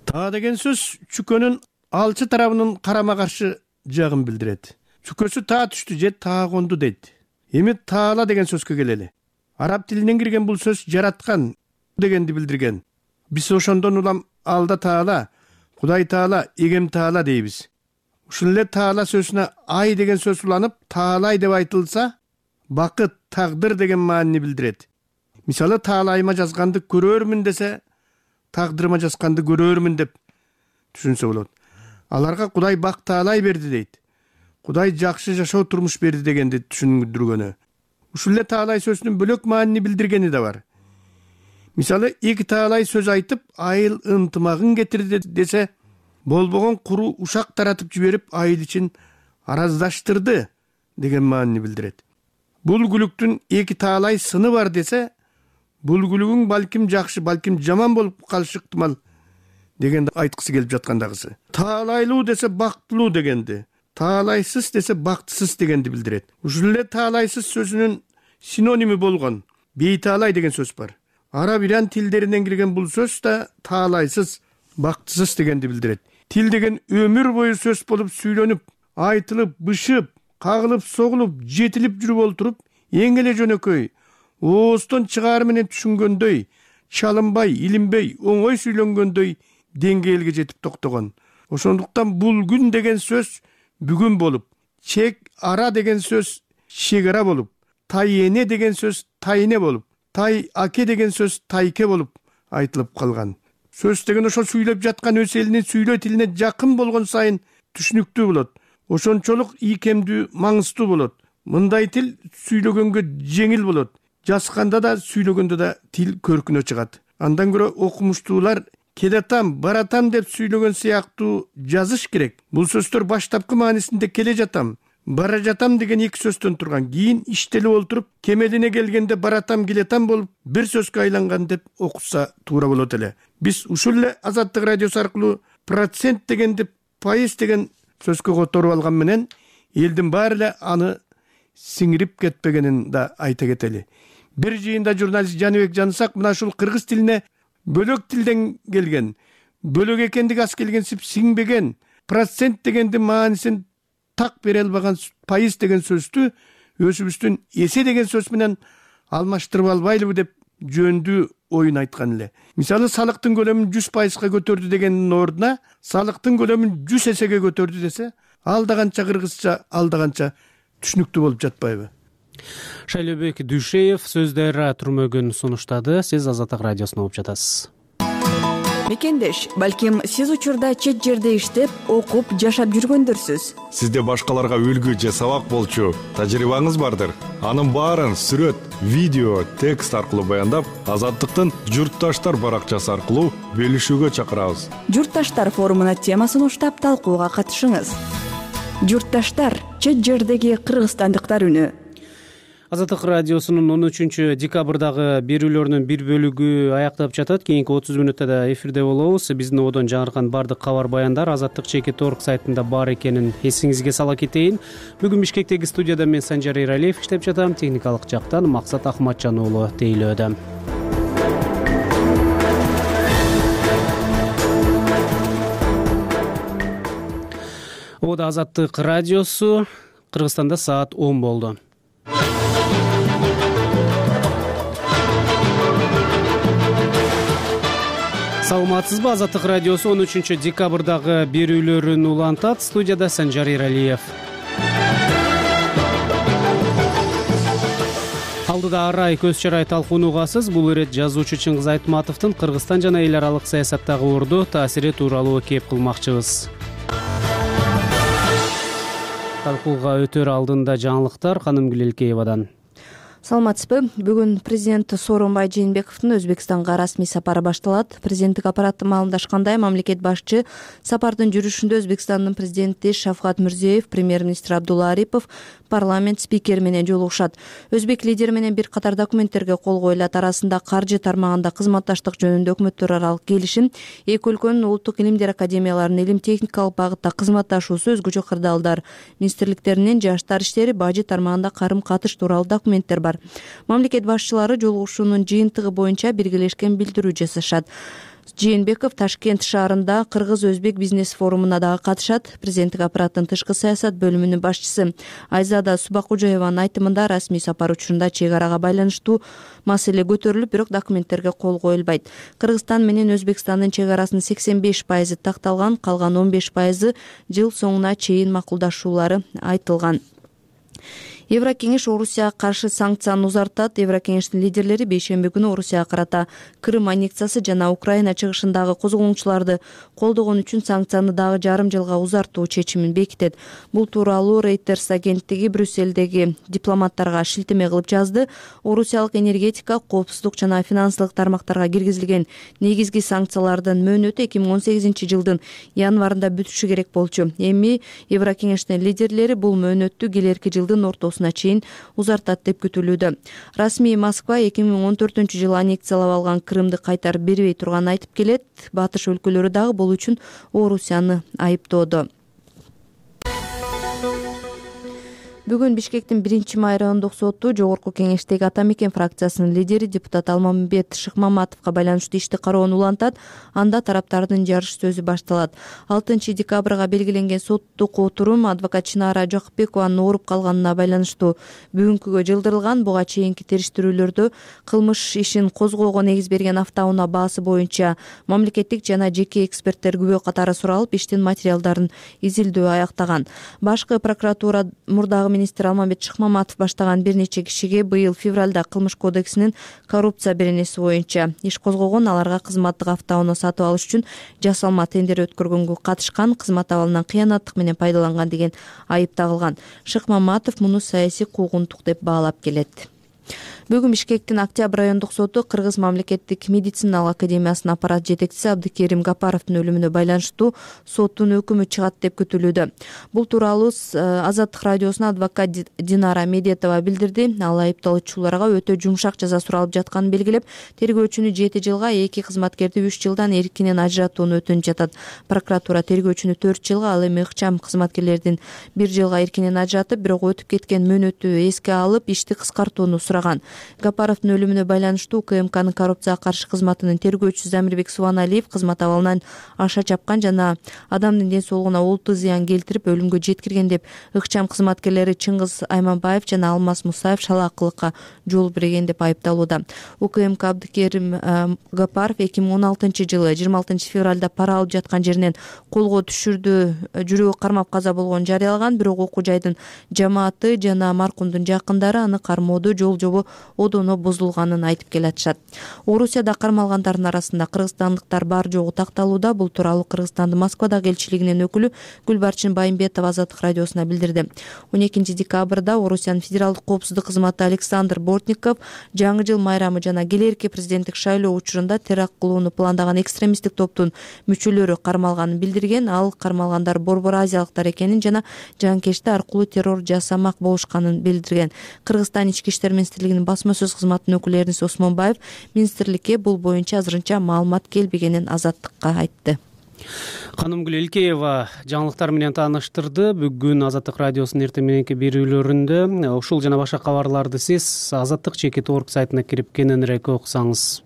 Таа деген сөз чүкөнүн алчы тарабынын карама каршы жагын билдирет. Чүкөсү таа түштү же таа конду дейт. Эми таала деген сөзгө келели. Араб тилинен кирген бул сөз жараткан дегенди билдирген. Биз ошондон улам алда таала, Кудай таала, эгем таала дейбиз. Ушул эле таала сөзүнө ай деген сөз уланып, таалай деп айтылса, бакыт, тагдыр деген маанини билдирет. Мисалы, таалайыма жазганды көрөрмүн десе, тагдырыма жазганды көрөрмүн деп түшүнсө болот. Аларга Кудай бак таалай берди дейт. Кудай жакшы жашоо турмуш берди дегенди түшүндүргөнү. Ушул эле таалай сөзүнүн бөлөк маанини билдиргени да бар. Мисалы, эки таалай сөз айтып, айыл ынтымагын кетирди десе, болбогон куру ушак таратып жиберип, айыл ичин араздаштырды деген маанини билдирет. Бул күлүктүн эки таалай сыны бар десе, бул күлүгүң балким жакшы, балким жаман болуп калышы ыктымал дегенди айткысы келип жаткандагысы. Таалайлуу десе бактылуу дегенди, таалайсыз десе бактысыз дегенди билдирет. Ушул эле таалайсыз сөзүнүн синоними болгон бейтаалай деген сөз бар. Араб иран тилдеринен кирген бул сөз да таалайсыз, бактысыз дегенди билдирет. Тил деген өмүр бою сөз болуп сүйлөнүп, айтылып, бышып, кагылып, согулуп, жетилип жүрүп олтуруп, эң эле жөнөкөй, ооздон чыгаар менен түшүнгөндөй, чалынбай, илинбей, оңой сүйлөнгөндөй деңгээлге жетип токтогон. Ошондуктан бул күн деген сөз бүгүн болуп, чек ара деген сөз чегара болуп, тай эне деген сөз тайне болуп, тай аке деген сөз тайке болуп айтылып калган. Сөз деген ошол сүйлөп жаткан өз элинин сүйлөө тилине жакын болгон сайын түшүнүктүү болот. Ошончолук ийкемдүү, маңыздуу болот. Мындай тил сүйлөгөнгө жеңил болот. Жазганда да, сүйлөгөндө да тил көркүнө чыгат. Андан көрө окумуштуулар келатам, баратам деп сүйлөгөн сыяктуу жазыш керек. Бул сөздөр баштапкы маанисинде келе жатам, бара жатам деген эки сөздөн турган. Кийин иштелип олтуруп, кемелине келгенде баратам, келетам болуп, бир сөзгө айланган деп окуса туура болот эле. Биз ушул эле Азаттык радиосу аркылуу процент дегенди пайыз деген сөзгө которуп алган менен элдин баары эле аны сиңирип кетпегенин да айта кетели. Бир жыйында журналист Жаныбек Жанысак мына ушул кыргыз тилине бөлөк тилден келген, бөлөк экендиги аз келгенсип сиңбеген, процент дегенди маанисин так бере албаган пайыз деген сөздү өзүбүздүн эсе деген сөз менен алмаштырып албайлыбы деп жөндүү оюн айткан эле. Мисалы, салыктын көлөмүн жүз пайызга көтөрдү дегендин ордуна салыктын көлөмүн жүз эсеге көтөрдү десе, ал да канча кыргызча, ал да канча түшүнүктүү болуп жатпайбы? Шайлообек Дүйшеев сөз дайра түрмөгүн сунуштады. Сиз Азаттык радиосуна угуп жатасыз. Мекендеш, балким сиз учурда чет жерде иштеп, окуп, жашап жүргөндөрсүз. Сизде башкаларга үлгү же сабак болчу тажрыйбаңыз бардыр. Анын баарын сүрөт, видео, текст аркылуу баяндап, Азаттыктын журтташтар баракчасы аркылуу бөлүшүүгө чакырабыз. Журтташтар форумуна тема сунуштап, талкууга катышыңыз. Журтташтар — чет жердеги кыргызстандыктар үнү. Азаттык радиосунун он үчүнчү декабрдагы берүүлөрүнүн бир бөлүгү аяктап жатат. Кийинки отуз мүнөттө да эфирде болобуз. Биздин одон жаңыркан баардык кабар баяндар азаттык чекит орг сайтында бар экенин эсиңизге сала кетейин. Бүгүн Бишкектеги студияда мен Санжар Эралиев иштеп жатам. Техникалык жактан Максат Ахматжан уулу тейлөөдө. Ода Азаттык радиосу. Кыргызстанда саат он болду. Саламатсызбы? Азаттык радиосу он үчүнчү декабрдагы берүүлөрүн улантат. Студияда Санжар Эралиев. Алдыда арай көз чарай талкуунугасыз. Бул ирет жазуучу Чыңгыз Айтматовдун Кыргызстан жана эл аралык саясаттагы орду таасири тууралуу кеп кылмакчыбыз. Талкууга өтөр алдында жаңылыктар Канымгүл Элкеевадан. Саламатсызбы? Бүгүн президент Сооронбай Жээнбековдун Өзбекстанга расмий сапары башталат. Президенттик аппарат маалымдашкандай, мамлекет башчы сапардын жүрүшүндө Өзбекстандын президенти Шавкат Мирзиёев, премьер-министр Абдулла Арипов, парламент спикери менен жолугушат. Өзбек лидери менен бир катар документтерге кол коюлат. Арасында каржы тармагында кызматташтык жөнүндө өкмөттөр аралык келишим, эки өлкөнүн улуттук илимдер академияларынын илим техникалык багытта кызматташуусу, өзгөчө кырдаалдар, министрликтеринин жаштар иштери, бажы тармагында карым катыш тууралуу документтер бар. Мамлекет башчылары жолугушуунун жыйынтыгы боюнча биргелешкен билдирүү жасашат. Жээнбеков Ташкент шаарында кыргыз-өзбек бизнес форумуна дагы катышат. Президенттик аппараттын тышкы саясат бөлүмүнүн башчысы Айзада Субакужаеванын айтымында, расмий сапар учурунда чек арага байланыштуу маселе көтөрүлүп, бирок документтерге кол коюлбайт. Кыргызстан менен Өзбекстандын чек арасынын сексен беш пайызы такталган, калган он беш пайызы жыл соңуна чейин макулдашуулары айтылган. Еврокеңеш Орусияга каршы санкцияны узартат. Еврокеңештин лидерлери бейшемби күнү Орусияга карата Крым аннексиясы жана Украина чыгышындагы козголоңчуларды колдогон үчүн санкцияны дагы жарым жылга узартуу чечимин бекитет. Бул тууралуу Reuters агенттиги Брюссельдеги дипломаттарга шилтеме кылып жазды. Орусиялык энергетика, коопсуздук жана финансылык тармактарга киргизилген негизги санкциялардын мөөнөтү эки миң он сегизинчи жылдын январында бүтүшү керек болчу. Эми Еврокеңештин лидерлери бул мөөнөттү келерки жылдын ортосуна чейин узартат деп күтүлүүдө. Расмий Москва эки миң он төртүнчү жылы аннексиялап алган Крымды кайтарып бербей турганын айтып келет. Батыш өлкөлөрү дагы бул үчүн Орусияны айыптоодо. Бүгүн Бишкектин биринчи май райондук соту Жогорку кеңештеги Ата Мекен фракциясынын лидери депутат Алмамбет Шыкмаматовго байланыштуу ишти кароону улантат. Анда тараптардын жарыш сөзү башталат. алтынчы декабрга белгиленген соттук отурум адвокат Чынара Жакпекованын ооруп калганына байланыштуу бүгүнкүгө жылдырылган. Буга чейинки териштирүүлөрдө кылмыш ишин козгоого негиз берген автоунаа баасы боюнча мамлекеттик жана жеке эксперттер күбө катары суралып, иштин материалдарын изилдөө аяктаган. Башкы прокуратура мурдагы министр Алмамбет Шыкмаматов баштаган бир нече кишиге быйыл февралда кылмыш кодексинин коррупция беренеси боюнча иш козгогон. Аларга кызматтык автоунаа сатып алыш үчүн жасалма тендер өткөргөнгө катышкан, кызмат абалынан кыянаттык менен пайдаланган деген айып тагылган. Шыкмаматов муну саясий куугунтук деп баалап келет. Бүгүн Бишкектин Октябрь райондук соту Кыргыз мамлекеттик медициналык академиясынын аппарат жетекчиси Абдыкерим Гапаровдун өлүмүнө байланыштуу соттун өкүмү чыгат деп күтүлүүдө. Бул тууралуу Азаттык радиосуна адвокат Динара Медетова билдирди. Ал айыпталуучуларга өтө жумшак жаза суралып жатканын белгилеп, тергөөчүнү жети жылга, эки кызматкерди үч жылдан эркинен ажыратууну өтүнүп жатат. Прокуратура тергөөчүнү төрт жылга, ал эми ыкчам кызматкерлердин бир жылга эркинен ажыратып, бирок өтүп кеткен мөөнөтү эске алып, ишти кыскартууну сураган. Гапаровдун өлүмүнө байланыштуу УКМКнын коррупцияга каршы кызматынын тергөөчүсү Замирбек Субаналиев кызмат абалынан аша чапкан жана адамдын ден соолугуна олуттуу зыян келтирип, өлүмгө жеткирген деп ыкчам кызматкерлери Чыңгыз Айманбаев жана Алмаз Мусаев шалаакылыкка жол берген деп айыпталууда. УКМК Абдыкерим Гапаров эки миң он алтынчы жылы жыйырма алтынчы февралда пара алып жаткан жеринен колго түшүрдү, жүрөгү кармап каза болгонун жарыялаган, бирок окуу жайдын жамааты жана маркумдун жакындары аны кармоодо жол жобо одоно бузулганын айтып келатышат. Орусияда кармалгандардын арасында кыргызстандыктар бар жогу такталууда. Бул тууралуу Кыргызстандын Москвадагы элчилигинин өкүлү Гүлбарчын Байымбетова Азаттык радиосуна билдирди. он экинчи декабрда Орусиянын федералдык коопсуздук кызматы Александр Бортников жаңы жыл майрамы жана келэрки президенттик шайлоо учурунда теракт кылууну пландаган экстремисттик топтун мүчөлөрү кармалганын билдирген. Ал кармалгандар борбор азиялыктар экенин жана жанкечти аркылуу террор жасамак болушканын билдирген. Кыргызстан ички иштер министрлигинин басма сөз кызматынын өкүлү Эрнис Осмонбаев министрликке бул боюнча азырынча маалымат келбегенин Азаттыкка айтты. Канымгүл Элкеева жаңылыктар менен тааныштырды. Бүгүн Азаттык радиосунун эртең мененки берүүлөрүндө ушул жана башка кабарларды сиз азаттык чекит орг сайтына кирип кененирээк окусаңыз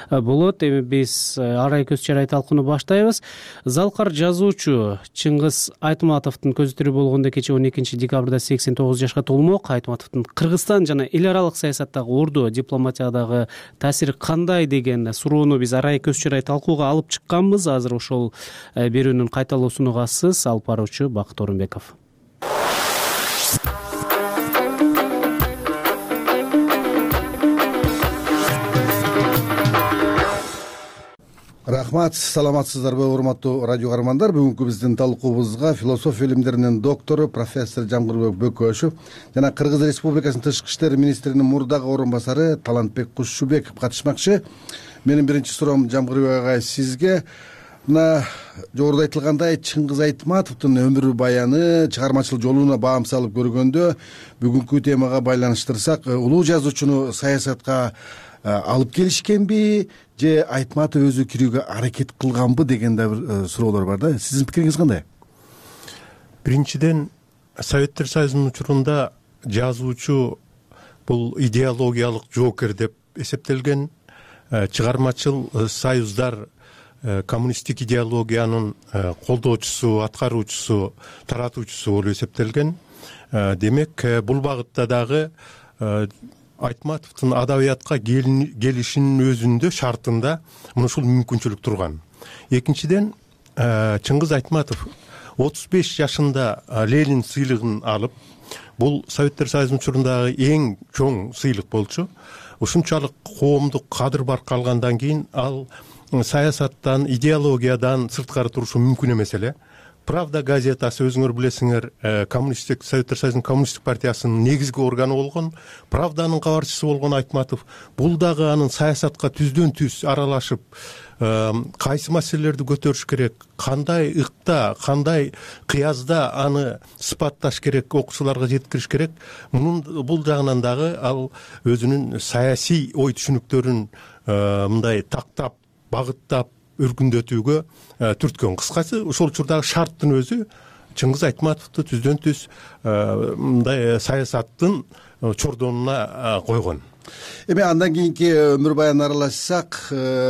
болот. Эми биз арай көз чарай талкууну баштайбыз. Залкар жазуучу Чыңгыз Айтматовдун көзү тирүү болгондо кечээ он экинчи декабрда сексен тогуз жашка толмок. Айтматовдун Кыргызстан жана эл аралык саясаттагы орду, дипломатиядагы таасири кандай деген суроону биз арай көз чарай талкууга алып чыкканбыз. Азыр ошол берүүнүн кайталоосун угасыз. Алып баруучу Бакыт Орунбеков. Рахмат, саламатсыздарбы урматтуу радио каармандар. Бүгүнкү биздин талкуубузга философия илимдеринин доктору профессор Жамгырбек Бөкөшев жана Кыргыз Республикасынын тышкы иштер министринин мурдагы орун басары Талантбек Кушчубеков катышмакчы. Менин биринчи суроом Жамгырбек агай сизге. Мына жогоруда айтылгандай Чыңгыз Айтматовдун өмүр баяны, чыгармачылык жолуна баам салып көргөндө бүгүнкү темага байланыштырсак, улуу жазуучуну саясатка алып келишкенби же Айтматов өзү кирүүгө аракет кылганбы деген да бир суроолор бар да. Сиздин пикириңиз кандай? Биринчиден, Советтер Союзунун учурунда жазуучу бул идеологиялык жоокер деп эсептелген. Чыгармачыл союздар коммунисттик идеологиянын колдоочусу, аткаруучусу, таратуучусу болуп эсептелген. Демек, бул багытта дагы Айтматовдун адабиятка келишинин өзүндө шартында мына ушул мүмкүнчүлүк турган. Экинчиден, Чыңгыз Айтматов отуз беш жашында Ленин сыйлыгын алып, бул Советтер Союзунун учурундагы эң чоң сыйлык болчу. Ушунчалык коомдук кадыр бар калгандан кийин ал саясаттан, идеологиядан сырткары турушу мүмкүн эмес эле. Правда газетасы, өзүңөр билесиңер, коммунисттик Советтер Союзунун коммунисттик партиясынын негизги органы болгон, Правданын кабарчысы болгон Айтматов бул дагы анын саясатка түздөн түз аралашып, кайсы маселелерди көтөрүш керек, кандай ыкта, кандай кыязда аны сыпатташ керек, окуучуларга жеткириш керек. Мунун бул жагынан дагы ал өзүнүн саясий ой түшүнүктөрүн мындай тактап, багыттап, өркүндөтүүгө түрткөн. Кыскасы, ошол учурдагы шарттын өзү Чыңгыз Айтматовду түздөн түз мындай саясаттын чордонуна койгон. Эми андан кийинки өмүр баянын аралашсак,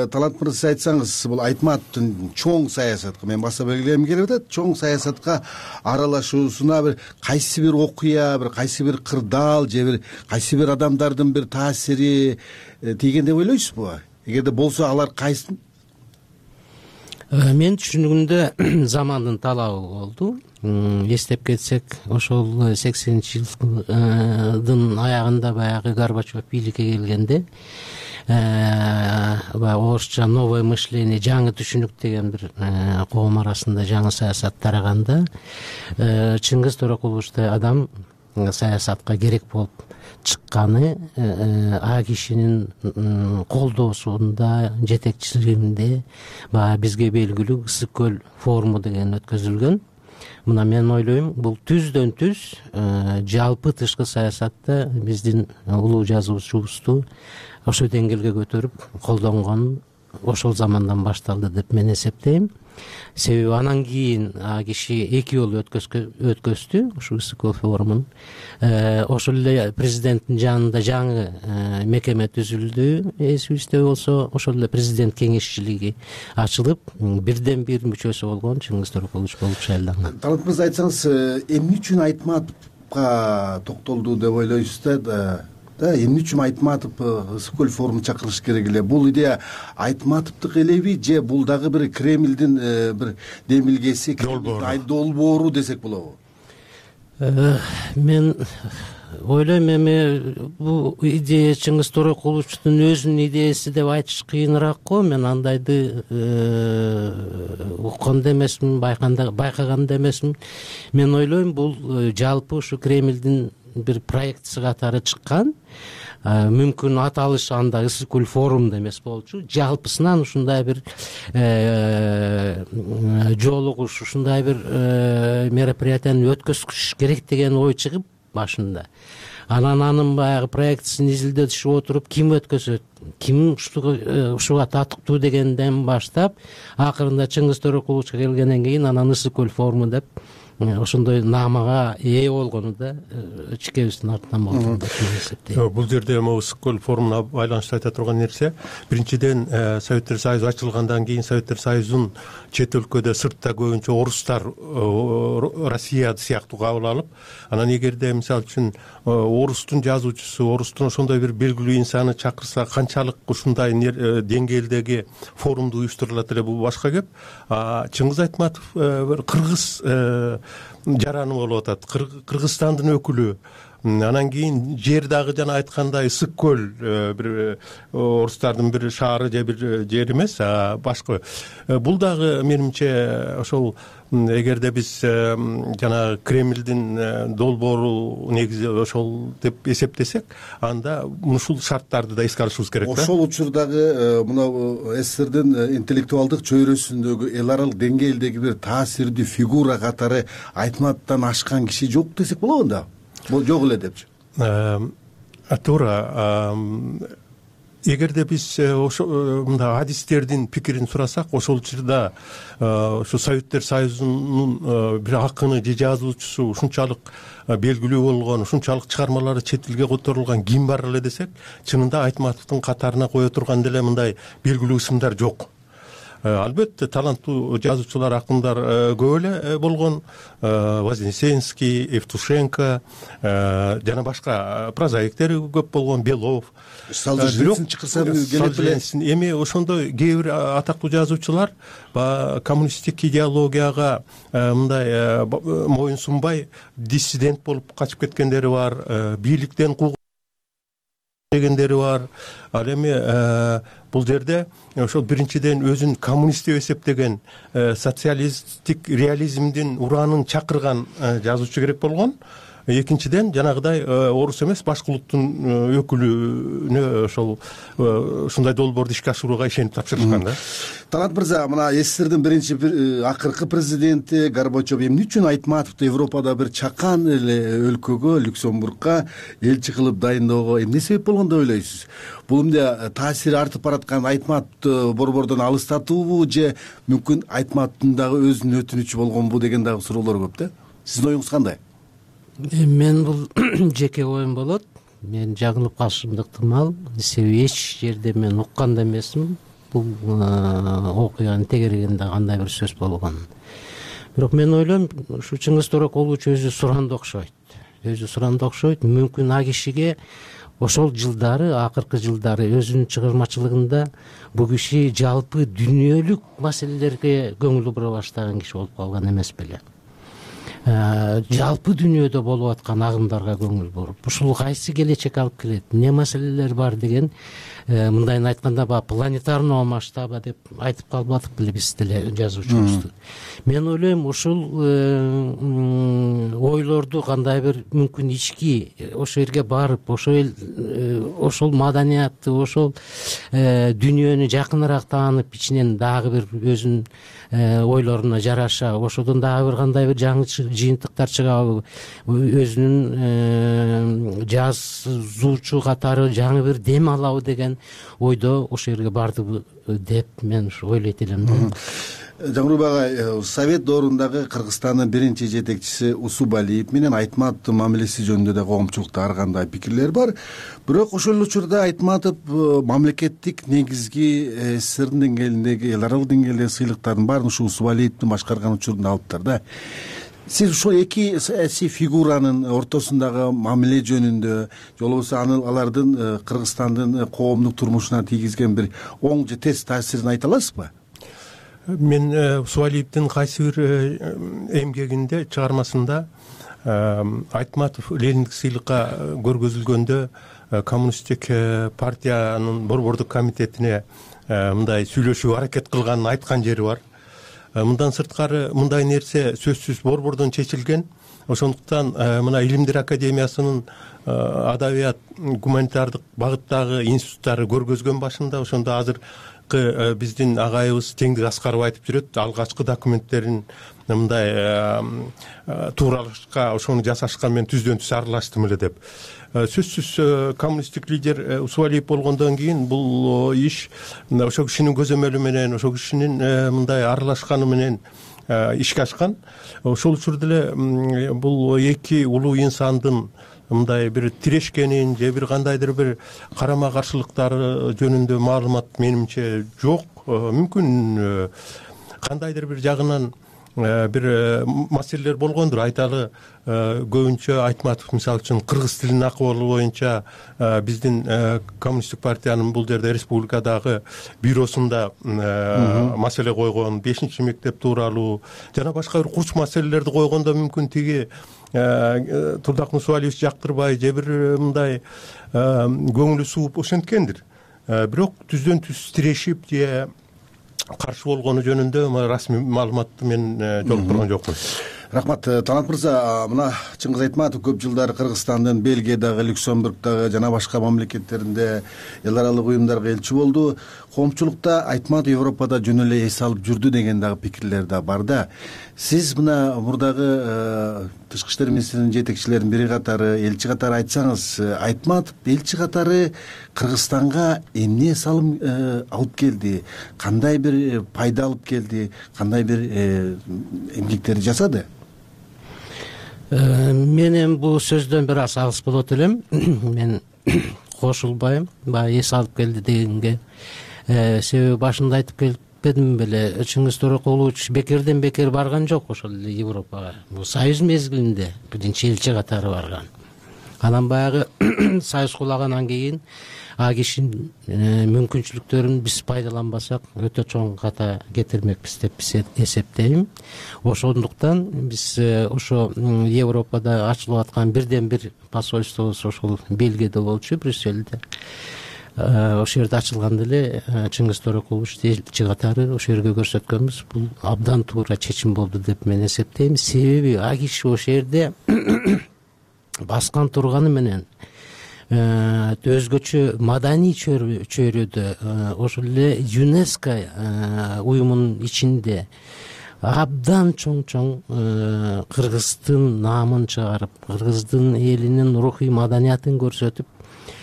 Талант мырза, сиз айтсаңыз, бул Айтматовдун чоң саясатка, мен баса белгилегим келип атат, чоң саясатка аралашуусуна бир кайсы бир окуя, бир кайсы бир кырдаал же бир кайсы бир адамдардын бир таасири тийген деп ойлойсузбу? Эгерде болсо, алар кайсы? Мен түшүнүгүмдө замандын талабы болду. Эстеп кетсек, ошол сексенинчи жылдын аягында баягы Горбачев бийликке келгенде, баягы орусча новое мышление, жаңы түшүнүк деген бир коом арасында жаңы саясат тараганда, Чыңгыз Торокуловичтой адам саясатка керек болуп чыкканы а кишинин колдоосунда, жетекчилигинде баягы бизге белгилүү Ысык көл форуму деген өткөзүлгөн. Мына мен ойлойм, бул түздөн түз жалпы тышкы саясатта биздин улуу жазуучубузду ошол деңгээлге көтөрүп колдонгон ошол замандан башталды деп мен эсептейм. Себеби анан кийин а киши эки жолу өткөздү ушул Ысык көл форумун. Ошол эле президенттин жанында жаңы мекеме түзүлдү. Эсибизде болсо, ошол эле президент кеңешчилиги ачылып, бирден бир мүчөсү болгон Чыңгыз Торокулович болуп шайланган. Талант мырза, айтсаңыз, эмне үчүн Айтматовго токтолду деп ойлойсуз да? Да, эмне үчүн Айтматов Ысык көл форумун чакырыш керек эле? Бул идея Айтматовдук элеби же бул дагы бир Кремлдин бир демилгеси, долбоору десек болобу? мен ойлойм эми бул идея Чыңгыз Торокуловичтун өзүнүн идеясы деп айтыш кыйыныраак го. Мен андайды уккан да эмесмин, байкаган да эмесмин. Мен ойлойм бул жалпы ушу Кремлдин бир проектиси катары чыккан. Мүмкүн аталышы анда ысык көл форумда эмес болчу, жалпысынан ушундай бир жолугуш, ушундай бир мероприятияны өткөзүш керек деген ой чыгып башында. Анан анын баягы проектисин изилдетишип отуруп, ким өткөзөт, ким ушуга татыктуу дегенден баштап, акырында Чыңгыз Торокуловичке келгенден кийин анан ысык көл форуму деп ошондой наамага ээ болгону да ичкебиздин артынан болду деп эсептейм. Бул жерде могу ысык көл форумуна байланыштуу айта турган нерсе, биринчиден Советтер Союзу ачылгандан кийин Советтер Союзун чет өлкөдө, сыртта көбүнчө орустар Россия сыяктуу кабыл алып, анан эгерде мисалы үчүн орустун жазуучусу, орустун ошондой бир белгилүү инсаны чакырса, канчалык ушундай деңгээлдеги форумду уюштурулат эле, бул башка кеп. Чыңгыз Айтматов бир кыргыз жараны болуп атат, Кыргызстандын өкүлү. Анан кийин жер дагы жана айткандай ысык көл бир орустардын бир шаары же бир жер эмес, башка. Бул дагы менимче ошол эгерде биз жана Кремлдин долбоору негизи ошол деп эсептесек, анда ушул шарттарды да эске алышыбыз керек да. Ошол учурдагы мына СССРдин интеллектуалдык чөйрөсүндөгү эл аралык деңгээлдеги бир таасирдүү фигура катары Айтматовдон ашкан киши жок десек болобу да? Бул жок эле депчи. Туура. Эгерде биз ошо мындай адистердин пикирин сурасак, ошол учурда ошо Советтер Союзунун бир акыны же жазуучусу ушунчалык белгилүү болгон, ушунчалык чыгармалары чет элге которулган ким бар эле десек, чынында Айтматовдун катарына кое турган деле мындай белгилүү ысымдар жок. Албетте таланттуу жазуучулар, акындар көп эле болгон, Вознесенский, Евтушенко жана башка прозаиктер көп болгон, Белов, Солженицын чакырса келип эле. Эми ошондой кээ бир атактуу жазуучулар коммунисттик идеологияга мындай моюн сунбай диссидент болуп качып кеткендери бар, бийликтен кууган дегендери бар. Ал эми бул жерде ошол биринчиден өзүн коммунист деп эсептеген, социалисттик реализмдин ураанын чакырган жазуучу керек болгон. Экинчиден жанагыдай орус эмес, башка улуттун өкүлүнө ошол ушундай долбоорду ишке ашырууга ишенип тапшырышкан да. Талант мырза, мына СССРдин биринчи акыркы президенти Горбачев эмне үчүн Айтматовду Европада бир чакан эле өлкөгө, Люксембургга элчи кылып дайындоого эмне себеп болгон деп ойлойсуз? Бул эмне таасири артып бараткан Айтматовду борбордон алыстатуубу же мүмкүн Айтматовдун дагы өзүнүн өтүнүчү болгонбу деген дагы суроолор көп да. Сиздин оюңуз кандай? Мен бул жеке оюм болот. Мен жагылып калышым ыктымал. Себеби эч жерде мен уккан да эмесмин. Бул окуянын тегерегинде кандай бир сөз болгон. Бирок мен ойлойм, ушу Чыңгыз Торокулович өзү суранды окшойт. Өзү суранды окшойт. Мүмкүн а кишиге ошол жылдары, акыркы жылдары өзүнүн чыгармачылыгында бул киши жалпы дүйнөлүк маселелерге көңүл бура баштаган киши болуп калган эмес беле. Жалпы дүйнөдө болуп аткан агымдарга көңүл буруп, ушул кайсы келечек алып келет, эмне маселелер бар деген, мындайын айтканда баягы планетарного масштаба деп айтып калбадык беле биз деле жазуучубузду. Мен ойлойм, ушул ойлорду кандай бир мүмкүн ички ошол жерге барып, ошол ошол маданиятты, ошол дүйнөнү жакыныраак таанып, ичинен дагы бир өзүнүн ойлоруна жараша ошодон дагы бир кандай бир жаңы жыйынтыктар чыгабы, өзүнүн жазуучу катары жаңы бир дем алабы деген ойдо ошол жерге бардыбы деп мен ушу ойлойт элем да. Жамурбек агай, Совет доорундагы Кыргызстандын биринчи жетекчиси Усубалиев менен Айтматовдун мамилеси жөнүндө да коомчулукта ар кандай пикирлер бар. Бирок ошол учурда Айтматов мамлекеттик негизги СССРдин деңгээлиндеги, эл аралык деңгээлдеги сыйлыктардын баарын ушу Усубалиевдин башкарган учурунда алыптыр да. Сиз ушул эки саясий фигуранын ортосундагы мамиле жөнүндө, же болбосо алардын Кыргызстандын коомдук турмушуна тийгизген бир оң же терс таасирин айта аласызбы? Мен Усубалиевдин кайсы бир эмгегинде, чыгармасында Айтматов Лениндик сыйлыкка көргөзүлгөндө коммунисттик партиянын борбордук комитетине мындай сүйлөшүүгө аракет кылганын айткан жери бар. Мындан сырткары мындай нерсе сөзсүз борбордон чечилген. Ошондуктан мына Илимдер академиясынын адабият гуманитардык багыттагы институттары көргөзгөн башында. Ошондо азыркы биздин агайыбыз Теңдик Аскаров айтып жүрөт, алгачкы документтерин мындай тууралашка ошону жасашкан мен түздөн түз аралаштым эле деп. Сөзсүз коммунисттик лидер Усвалиев болгондон кийин бул иш ошол кишинин көзөмөлү менен, ошол кишинин мындай аралашканы менен ишке ашкан. Ошол учурда эле бул эки улуу инсандын мындай бир тирешкенин же бир кандайдыр бир карама каршылыктары жөнүндө маалымат менимче жок. Мүмкүн кандайдыр бир жагынан бир маселелер болгондур. Айталы, көбүнчө Айтматов мисалы үчүн кыргыз тилинин акыбалы боюнча биздин коммунисттик партиянын бул жерде республикадагы бюросунда маселе койгон, бешинчи мектеп тууралуу жана башка бир курч маселелерди койгондо мүмкүн тиги Турдак Усвалиевич жактырбай же бир мындай көңүлү сууп ошенткендир. Бирок түздөн түз тирешип же каршы болгону жөнүндө расмий маалыматты мен жолуктурган жокмун. Рахмат. Талант мырза, мына Чыңгыз Айтматов көп жылдар Кыргызстандын Бельгиядагы, Люксембургдагы жана башка мамлекеттеринде эл аралык уюмдарга элчи болду. Коомчулукта Айтматов Европада жөн эле эс алып жүрдү деген дагы пикирлер да бар да. Сиз мына мурдагы тышкы иштер министринин жетекчилеринин бири катары, элчи катары айтсаңыз, Айтматов элчи катары Кыргызстанга эмне салым алып келди, кандай бир пайда алып келди, кандай бир эмгектерди жасады? Менин бул сөздөн бир аз алыс болот элем. Мен кошулбайм, баягы эс алып келди дегенге. Себеби башында айтып келбедим беле, Чыңгыз Торокулович бекерден бекер барган жок ошол эле Европага. Бул союз мезгилинде биринчи элчи катары барган. Анан баягы союз кулагандан кийин а кишинин мүмкүнчүлүктөрүн биз пайдаланбасак өтө чоң ката кетирмекпиз деп эсептейм. Ошондуктан биз ошо Европада ачылып аткан бирден бир посольствобуз ошол Бельгияда болчу, Брюссельде. Ошол жерде ачылганда эле Чыңгыз Торокулович элчи катары ошол жерге көрсөткөнбүз. Бул абдан туура чечим болду деп мен эсептейм. Себеби а киши ошол жерде баскан турганы менен өзгөчө маданий чөйрөдө ошол эле ЮНЕСКО уюмунун ичинде абдан чоң-чоң Кыргыздын наамын чыгарып, Кыргыздын элинин рухий маданиятын көрсөтүп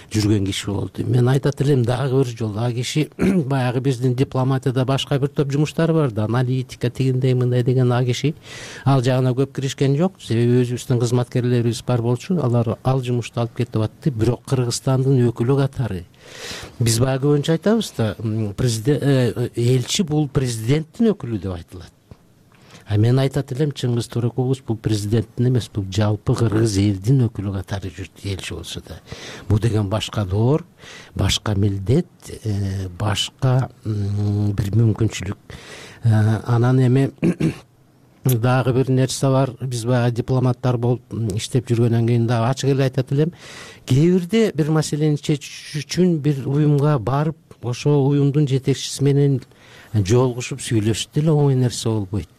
жүргөн киши болду. Мен айтат элем дагы бир жолу а киши баягы биздин дипломатияда башка бир топ жумуштар бар да, аналитика тигиндей мындай деген а киши ал жагына көп киришкен жок. Себеби өзүбүздүн кызматкерлерибиз бар болчу, алар ал жумушту алып кетип атты. Бирок Кыргызстандын өкүлү катары биз баягы көбүнчө айтабыз да, элчи бул президенттин өкүлү деп айтылат. А мен айтат элем, Чыңгыз Торокулович бул президенттин эмес, бул жалпы кыргыз элдин өкүлү катары жүрдү, элчи болсо да. Бул деген башка доор, башка милдет, башка бир мүмкүнчүлүк. Анан эми дагы бир нерсе бар, биз баягы дипломаттар болуп иштеп жүргөндөн кийин дагы ачык эле айтат элем, кээ бирде бир маселени чечиш үчүн бир уюмга барып, ошо уюмдун жетекчиси менен жолугушуп сүйлөшүп деле оңой нерсе болбойт.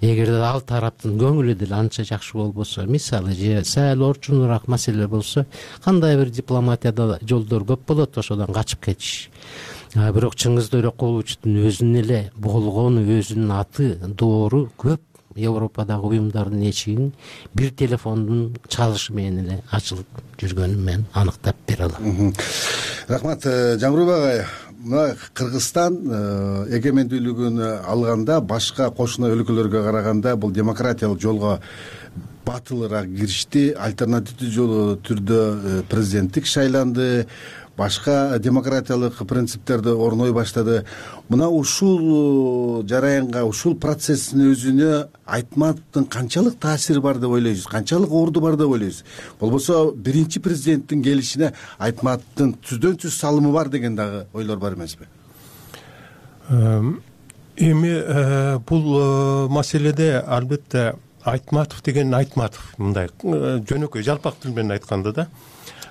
Эгерде ал тараптын көңүлү деле анча жакшы болбосо, мисалы же сәл орчунураак маселе болсо, кандай бир дипломатияда жолдор көп болот, ошодон качып кетиш. Бирок Чыңгыз Торокуловичтин өзүнүн эле болгону, өзүнүн аты, доору көп Европадагы уюмдардын эшигин бир телефондун чалышы менен эле ачылып жүргөнүн мен аныктап бере алам. Рахмат. Жамгырбек агай, мына Кыргызстан эгемендүүлүгүн алганда башка кошуна өлкөлөргө караганда бул демократиялык жолго батылыраак киришти, альтернативдүү жолу түрдө президенттик шайланды, башка демократиялык принциптерди орной баштады. Мына ушул жараянга, ушул процесстин өзүнө Айтматовдун канчалык таасири бар деп ойлойсуз, канчалык орду бар деп ойлойсуз? Болбосо биринчи президенттин келишине Айтматовдун түздөн түз салымы бар деген дагы ойлор бар эмеспи? Эми бул маселеде албетте Айтматов деген Айтматов мындай жөнөкөй жалпак тил менен айтканда да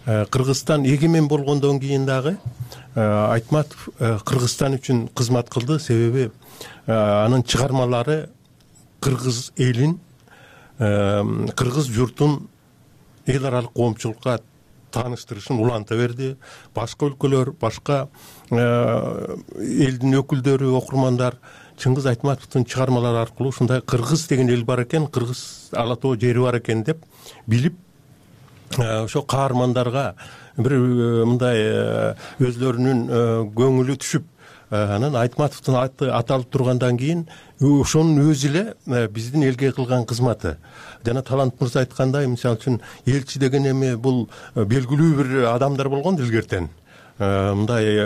Кыргызстан эгемен болгондон кийин дагы Айтматов Кыргызстан үчүн кызмат кылды. Себеби анын чыгармалары кыргыз элин, кыргыз журтун эл аралык коомчулукка тааныштырышын уланта берди. Башка өлкөлөр, башка элдин өкүлдөрү, окурмандар Чыңгыз Айтматовдун чыгармалары аркылуу ушундай кыргыз деген эл бар экен, кыргыз ала тоо жери бар экен деп билип, ошо каармандарга бир мындай өзлөрүнүн көңүлү түшүп, анан Айтматовдун аты аталып тургандан кийин ошонун өзү эле биздин элге кылган кызматы. Жана Талант мырза айткандай, мисалы үчүн элчи деген эми бул белгилүү бир адамдар болгон илгертен. Мындай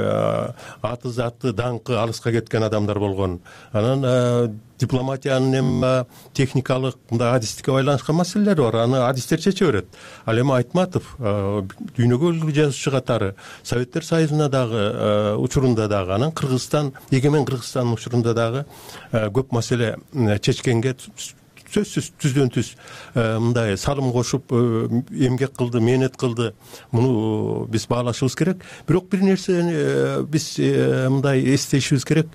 аты заты даңкы алыска кеткен адамдар болгон. Анан дипломатиянын эми техникалык мындай адистикке байланышкан маселелери бар. Аны адистер чече берет. Ал эми Айтматов дүйнөгө үлгү жазуучу катары Советтер Союзуна дагы учурунда дагы, анан Кыргызстан, эгемен Кыргызстандын учурунда дагы көп маселе чечкенге сөзсүз түздөн түз мындай салым кошуп эмгек кылды, мээнет кылды. Муну биз баалашыбыз керек. Бирок бир нерсени биз мындай эстешибиз керек.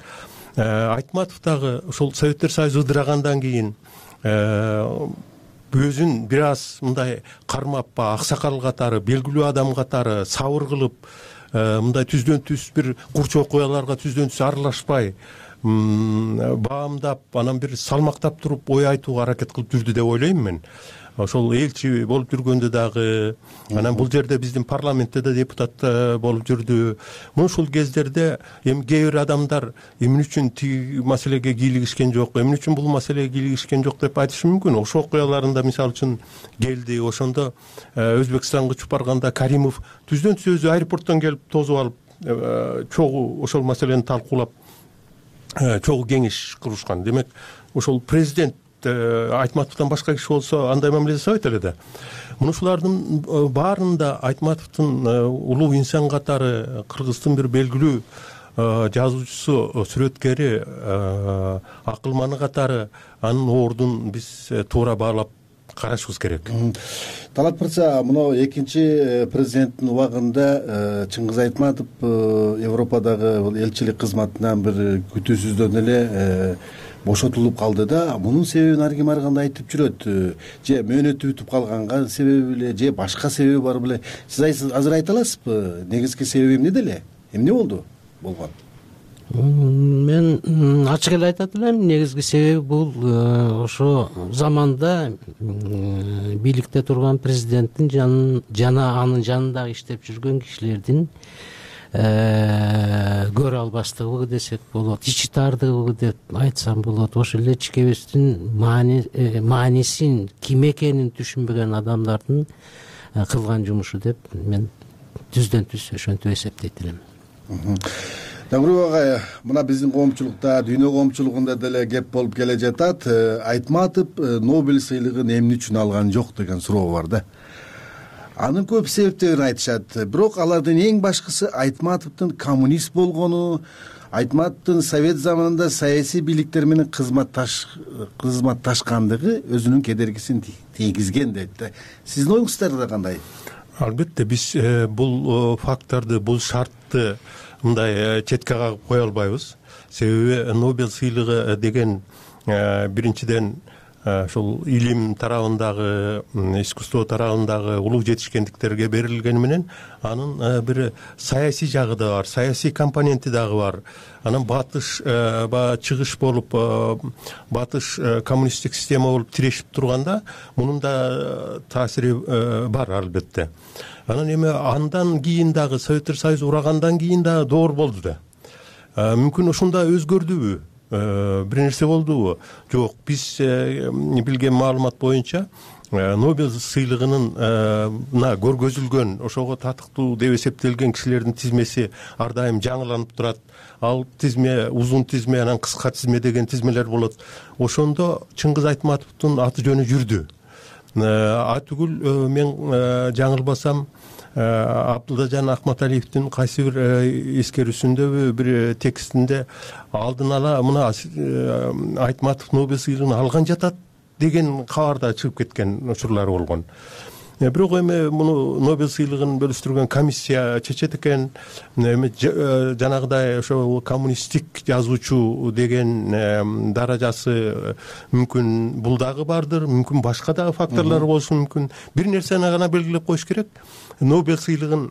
Айтматов дагы ошол Советтер Союзу ыдырагандан кийин өзүн бир аз мындай кармап, аксакал катары, белгилүү адам катары сабыр кылып, мындай түздөн түз бир курч окуяларга түздөн түз аралашпай, баамдап, анан бир салмактап туруп ой айтууга аракет кылып жүрдү деп ойлойм мен. Ошол элчи болуп жүргөндө дагы, анан бул жерде биздин парламентте да депутат болуп жүрдү. Мына ушул кездерде эми кээ бир адамдар эмне үчүн тиги маселеге кийлигишкен жок, эмне үчүн бул маселеге кийлигишкен жок деп айтышы мүмкүн. Ошо окуяларында мисалы үчүн келди, ошондо Өзбекстанга учуп барганда Каримов түздөн түз өзү аэропорттон келип тосуп алып, чогуу ошол маселени талкуулап, чогуу кеңеш курушкан. Демек, ошол президент Айтматовдон башка киши болсо андай мамиле жасабайт эле да. Мунушулардын баарында Айтматовдун улуу инсан катары, Кыргыздын бир белгилүү жазуучусу, сүрөткери, акылманы катары анын ордун биз туура баалап карашыбыз керек. Талант мырза, мына экинчи президенттин убагында Чыңгыз Айтматов Европадагы элчилик кызматынан бир күтүүсүздөн эле бошотулуп калды да. Мунун себебин ар ким ар кандай айтып жүрөт. Же мөөнөтү бүтүп калганга себеби беле, же башка себеби бар беле? Сиз азыр айта аласызбы? Негизги себеби эмнеде эле? Эмне болду? Болгон? Мен ачык эле айтат элем, негизги себеби бул ошо заманда бийликте турган президенттин жана анын жанындагы иштеп жүргөн кишилердин көрө албастыгы десек болот, ичи тардыгы деп айтсам болот. Ошол эле ичкебиздин маанисин, ким экенин түшүнбөгөн адамдардын кылган жумушу деп мен түздөн түз ошентип эсептейт элем. Жамгырбек агай, мына биздин коомчулукта, дүйнө коомчулугунда деле кеп болуп келе жатат. Айтматов Нобель сыйлыгын эмне үчүн алган жок деген суроо бар да. Анын көп себептерин айтышат. Бирок алардын эң башкысы Айтматовдун коммунист болгону, Айтматовдун Совет заманында саясий бийликтер менен кызматташкандыгы өзүнүн кедергисин тийгизген дейт да. Сиздин оюңуздар кандай? Албетте, биз бул факторду, бул шартты мындай четке кагып кое албайбыз. Себеби Нобель сыйлыгы деген биринчиден ошол илим тарабындагы, искусство тарабындагы улуу жетишкендиктерге берилгени менен анын бир саясий жагы да бар, саясий компоненти дагы бар. Анан батыш ба чыгыш болуп, батыш коммунисттик система болуп тирешип турганда мунун да таасири бар албетте. Анан эми андан кийин дагы Советтер Союзу урагандан кийин дагы доор болду да. Мүмкүн ошондо өзгөрдүбү? Бир нерсе болдубу? Жок, биз билген маалымат боюнча Нобель сыйлыгынын көргөзүлгөн, ошого татыктуу деп эсептелген кишилердин тизмеси ар дайым жаңыланып турат. Ал тизме, узун тизме, анан кыска тизме деген тизмелер болот. Ошондо Чыңгыз Айтматовдун аты жөнү жүрдү. А түгүл мен жаңылбасам Абдылдажан Акматалиевдин кайсы бир эскерүүсүндө, бир текстинде алдын ала мына Айтматов Нобель сыйлыгын алган жатат деген кабар да чыгып кеткен учурлар болгон. Бирок эми муну Нобель сыйлыгын бөлүштүргөн комиссия чечет экен. Эми жанагыдай ошол коммунисттик жазуучу деген даражасы мүмкүн бул дагы бардыр, мүмкүн башка дагы факторлор болушу мүмкүн. Бир нерсени гана белгилеп коюш керек. Нобель сыйлыгын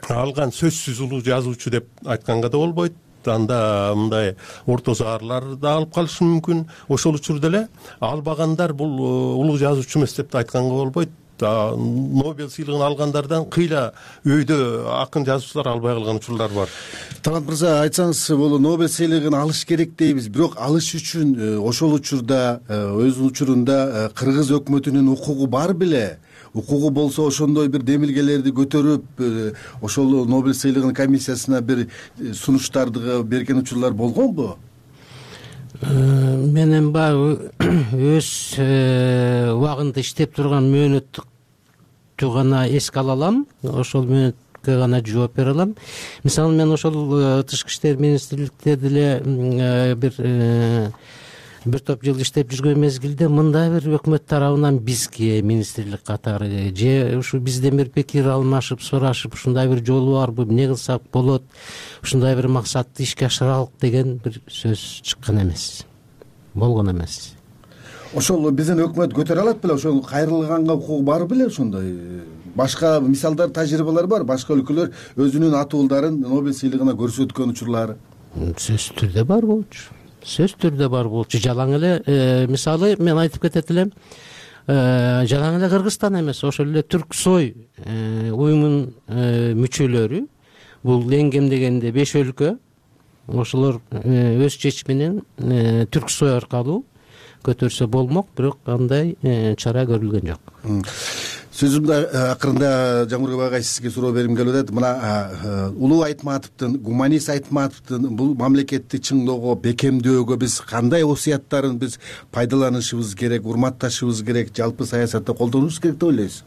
алган сөзсүз улуу жазуучу деп айтканга да болбойт. Анда мындай орто заарлар да алып калышы мүмкүн. Ошол учурда эле албагандар бул улуу жазуучу эмес деп айтканга болбойт. Нобель сыйлыгын алгандардан кыйла өйдө акын жазуучулар албай калган учурлар бар. Талант мырза, айтсаңыз, бул Нобель сыйлыгын алыш керек дейбиз, бирок алыш үчүн ошол учурда өз учурунда кыргыз өкмөтүнүн укугу бар беле? Укугу болсо ошондой бир демилгелерди көтөрүп, ошол Нобель сыйлыгынын комиссиясына бир сунуштарды берген учурлар болгонбу? Менин баягы өз убагында иштеп турган мөөнөттү гана эске ала алам, ошол мөөнөткө гана жооп бере алам. Мисалы, мен ошол тышкы иштер министрликте деле бир бир топ жыл иштеп жүргөн мезгилде мындай бир өкмөт тарабынан бизге министрлик катары же ушу бизден бир пикир алмашып, сурашып, ушундай бир жолу барбы, эмне кылсак болот, ушундай бир максатты ишке ашыралык деген бир сөз чыккан эмес, болгон эмес. Ошол биздин өкмөт көтөрө алат беле? Ошол кайрылганга укугу бар беле? Ошондой башка мисалдар, тажрыйбалар бар, башка өлкөлөр өзүнүн атуулдарын Нобель сыйлыгына көрсөткөн учурлары? Сөзсүз түрдө бар болчу. Сөз түрдө бар болчу. Жалаң эле мисалы мен айтып кетет элем, жалаң эле Кыргызстан эмес, ошол эле Түрксой уюмунун мүчөлөрү, бул эң кем дегенде беш өлкө, ошолор өз чечиминен Түрксой аркылуу көтөрсө болмок, бирок андай чара көрүлгөн жок. Сөзүмдү акырында Жамурбек агай сизге суроо бергим келип атат. Мына Улуу Айтматовдун, гуманист Айтматовдун бул мамлекетти чыңдоого, бекемдөөгө биз кандай осуяттарын биз пайдаланышыбыз керек, урматташыбыз керек, жалпы саясатта колдонушубуз керек деп ойлойсуз?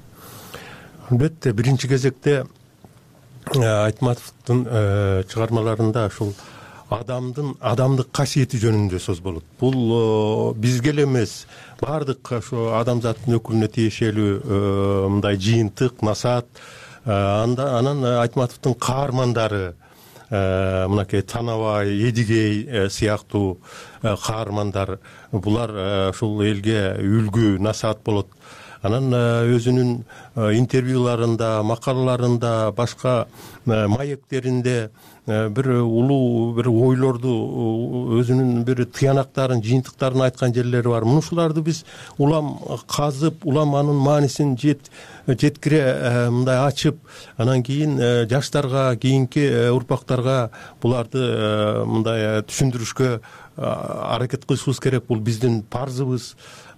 Албетте, биринчи кезекте Айтматовдун чыгармаларында ушул адамдын адамдык касиети жөнүндө сөз болот. Бул бизге эле эмес, баардык ошо адамзаттын өкүлүнө тиешелүү мындай жыйынтык, насаат. Анан Айтматовдун каармандары, мынакей Танабай, Эдигей сыяктуу каармандар, булар ушул элге үлгү, насаат болот. Анан өзүнүн интервьюларында, макалаларында, башка маектеринде бир улуу бир ойлорду, өзүнүн бир тыянактарын, жыйынтыктарын айткан жерлери бар. Мунушуларды биз улам казып, улам анын маанисин жеткире мындай ачып, анан кийин жаштарга, кийинки урпактарга буларды мындай түшүндүрүшкө аракет кылышыбыз керек. Бул биздин парзыбыз.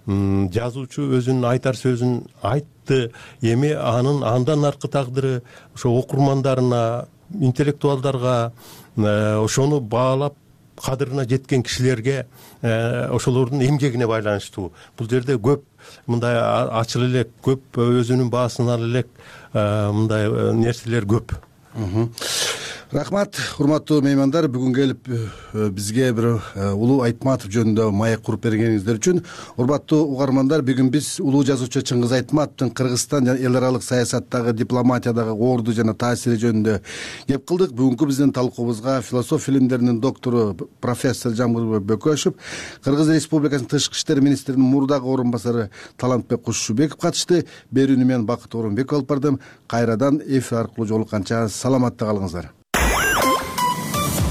Жазуучу өзүнүн айтар сөзүн айтты, эми анын андан аркы тагдыры ошо окурмандарына, интеллектуалдарга, ошону баалап кадырына жеткен кишилерге, ошолордун эмгегине байланыштуу. Бул жерде көп мындай ачыл элек, көп өзүнүн баасын ала элек мындай нерселер көп. Рахмат, урматтуу меймандар, бүгүн келип бизге бир Улуу Айтматов жөнүндө маек куруп бергениңиздер үчүн. Урматтуу угармандар, бүгүн биз улуу жазуучу Чыңгыз Айтматовдун Кыргызстан жана эл аралык саясаттагы, дипломатиядагы орду жана таасири жөнүндө кеп кылдык. Бүгүнкү биздин талкуубузга философия илимдеринин доктору профессор Жамурбек Бөкөшев, Кыргыз Республикасынын тышкы иштер министринин мурдагы орун басары Талантбек Кушубеков катышты. Берүүнү мен Бакыт Орунбеков алып бардым. Кайрадан эфир аркылуу жолукканча саламатта калыңыздар.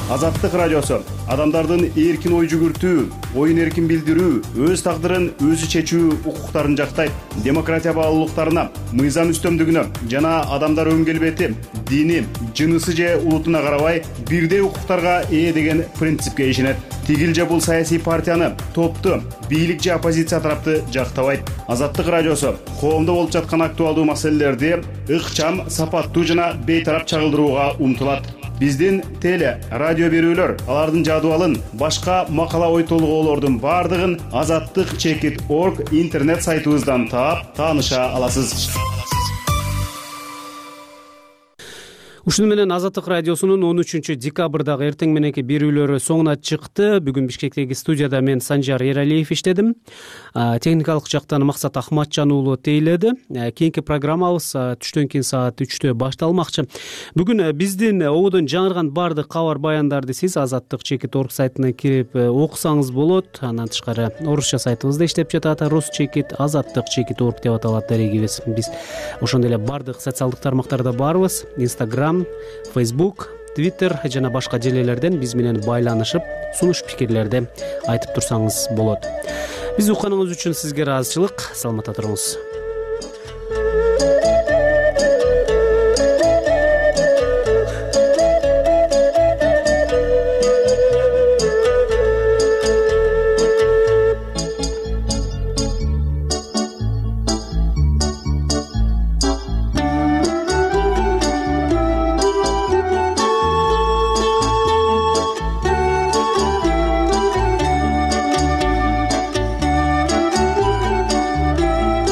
Азаттык радиосу адамдардын эркин ой жүгүртүү, оюн эркин билдирүү, өз тагдырын өзү чечүү укуктарын жактайт. Демократия баалуулуктарына, мыйзам үстөмдүгүнө жана адамдар өн келбети, дини, жынысы же улутуна карабай бирдей укуктарга ээ деген принципке ишенет. Тигил же бул саясий партияны, топту, бийлик же оппозиция тарапты жактабайт. Азаттык радиосу коомдо болуп жаткан актуалдуу маселелерди ыкчам, сапаттуу жана бейтарап чагылдырууга умтулат. Биздин теле, радио берүүлөр, алардын жадыбалын, башка макала ой толгоолордун бардыгын азаттык чекит точка орг интернет сайтыбыздан таап, тааныша аласыз. ушуну менен Азаттык радиосунун он үчүнчү декабрдагы эртең мененки берүүлөрү соңуна чыкты. Бүгүн Бишкектеги студияда мен Санжар Эралиев иштедим. Техникалык жактан Максат Ахматжан уулу тейледи. Кийинки программабыз түштөн кийин саат үчтө башталмакчы. Бүгүн биздин ободон жаңырган баардык кабар баяндарды сиз Азаттык чекит орг сайтына кирип окусаңыз болот. Андан тышкары орусча сайтыбызда иштеп жатат. Рус чекит, Азаттык чекит орг деп аталат дарегибиз. Биз ошондой эле баардык социалдык тармактарда барбыз. Instagram, Facebook, Twitter жана башка желелерден биз менен байланышып, сунуш пикирлерди айтып турсаңыз болот. Биз укканыңыз үчүн сизге ыраазычылык. Саламатта туруңуз.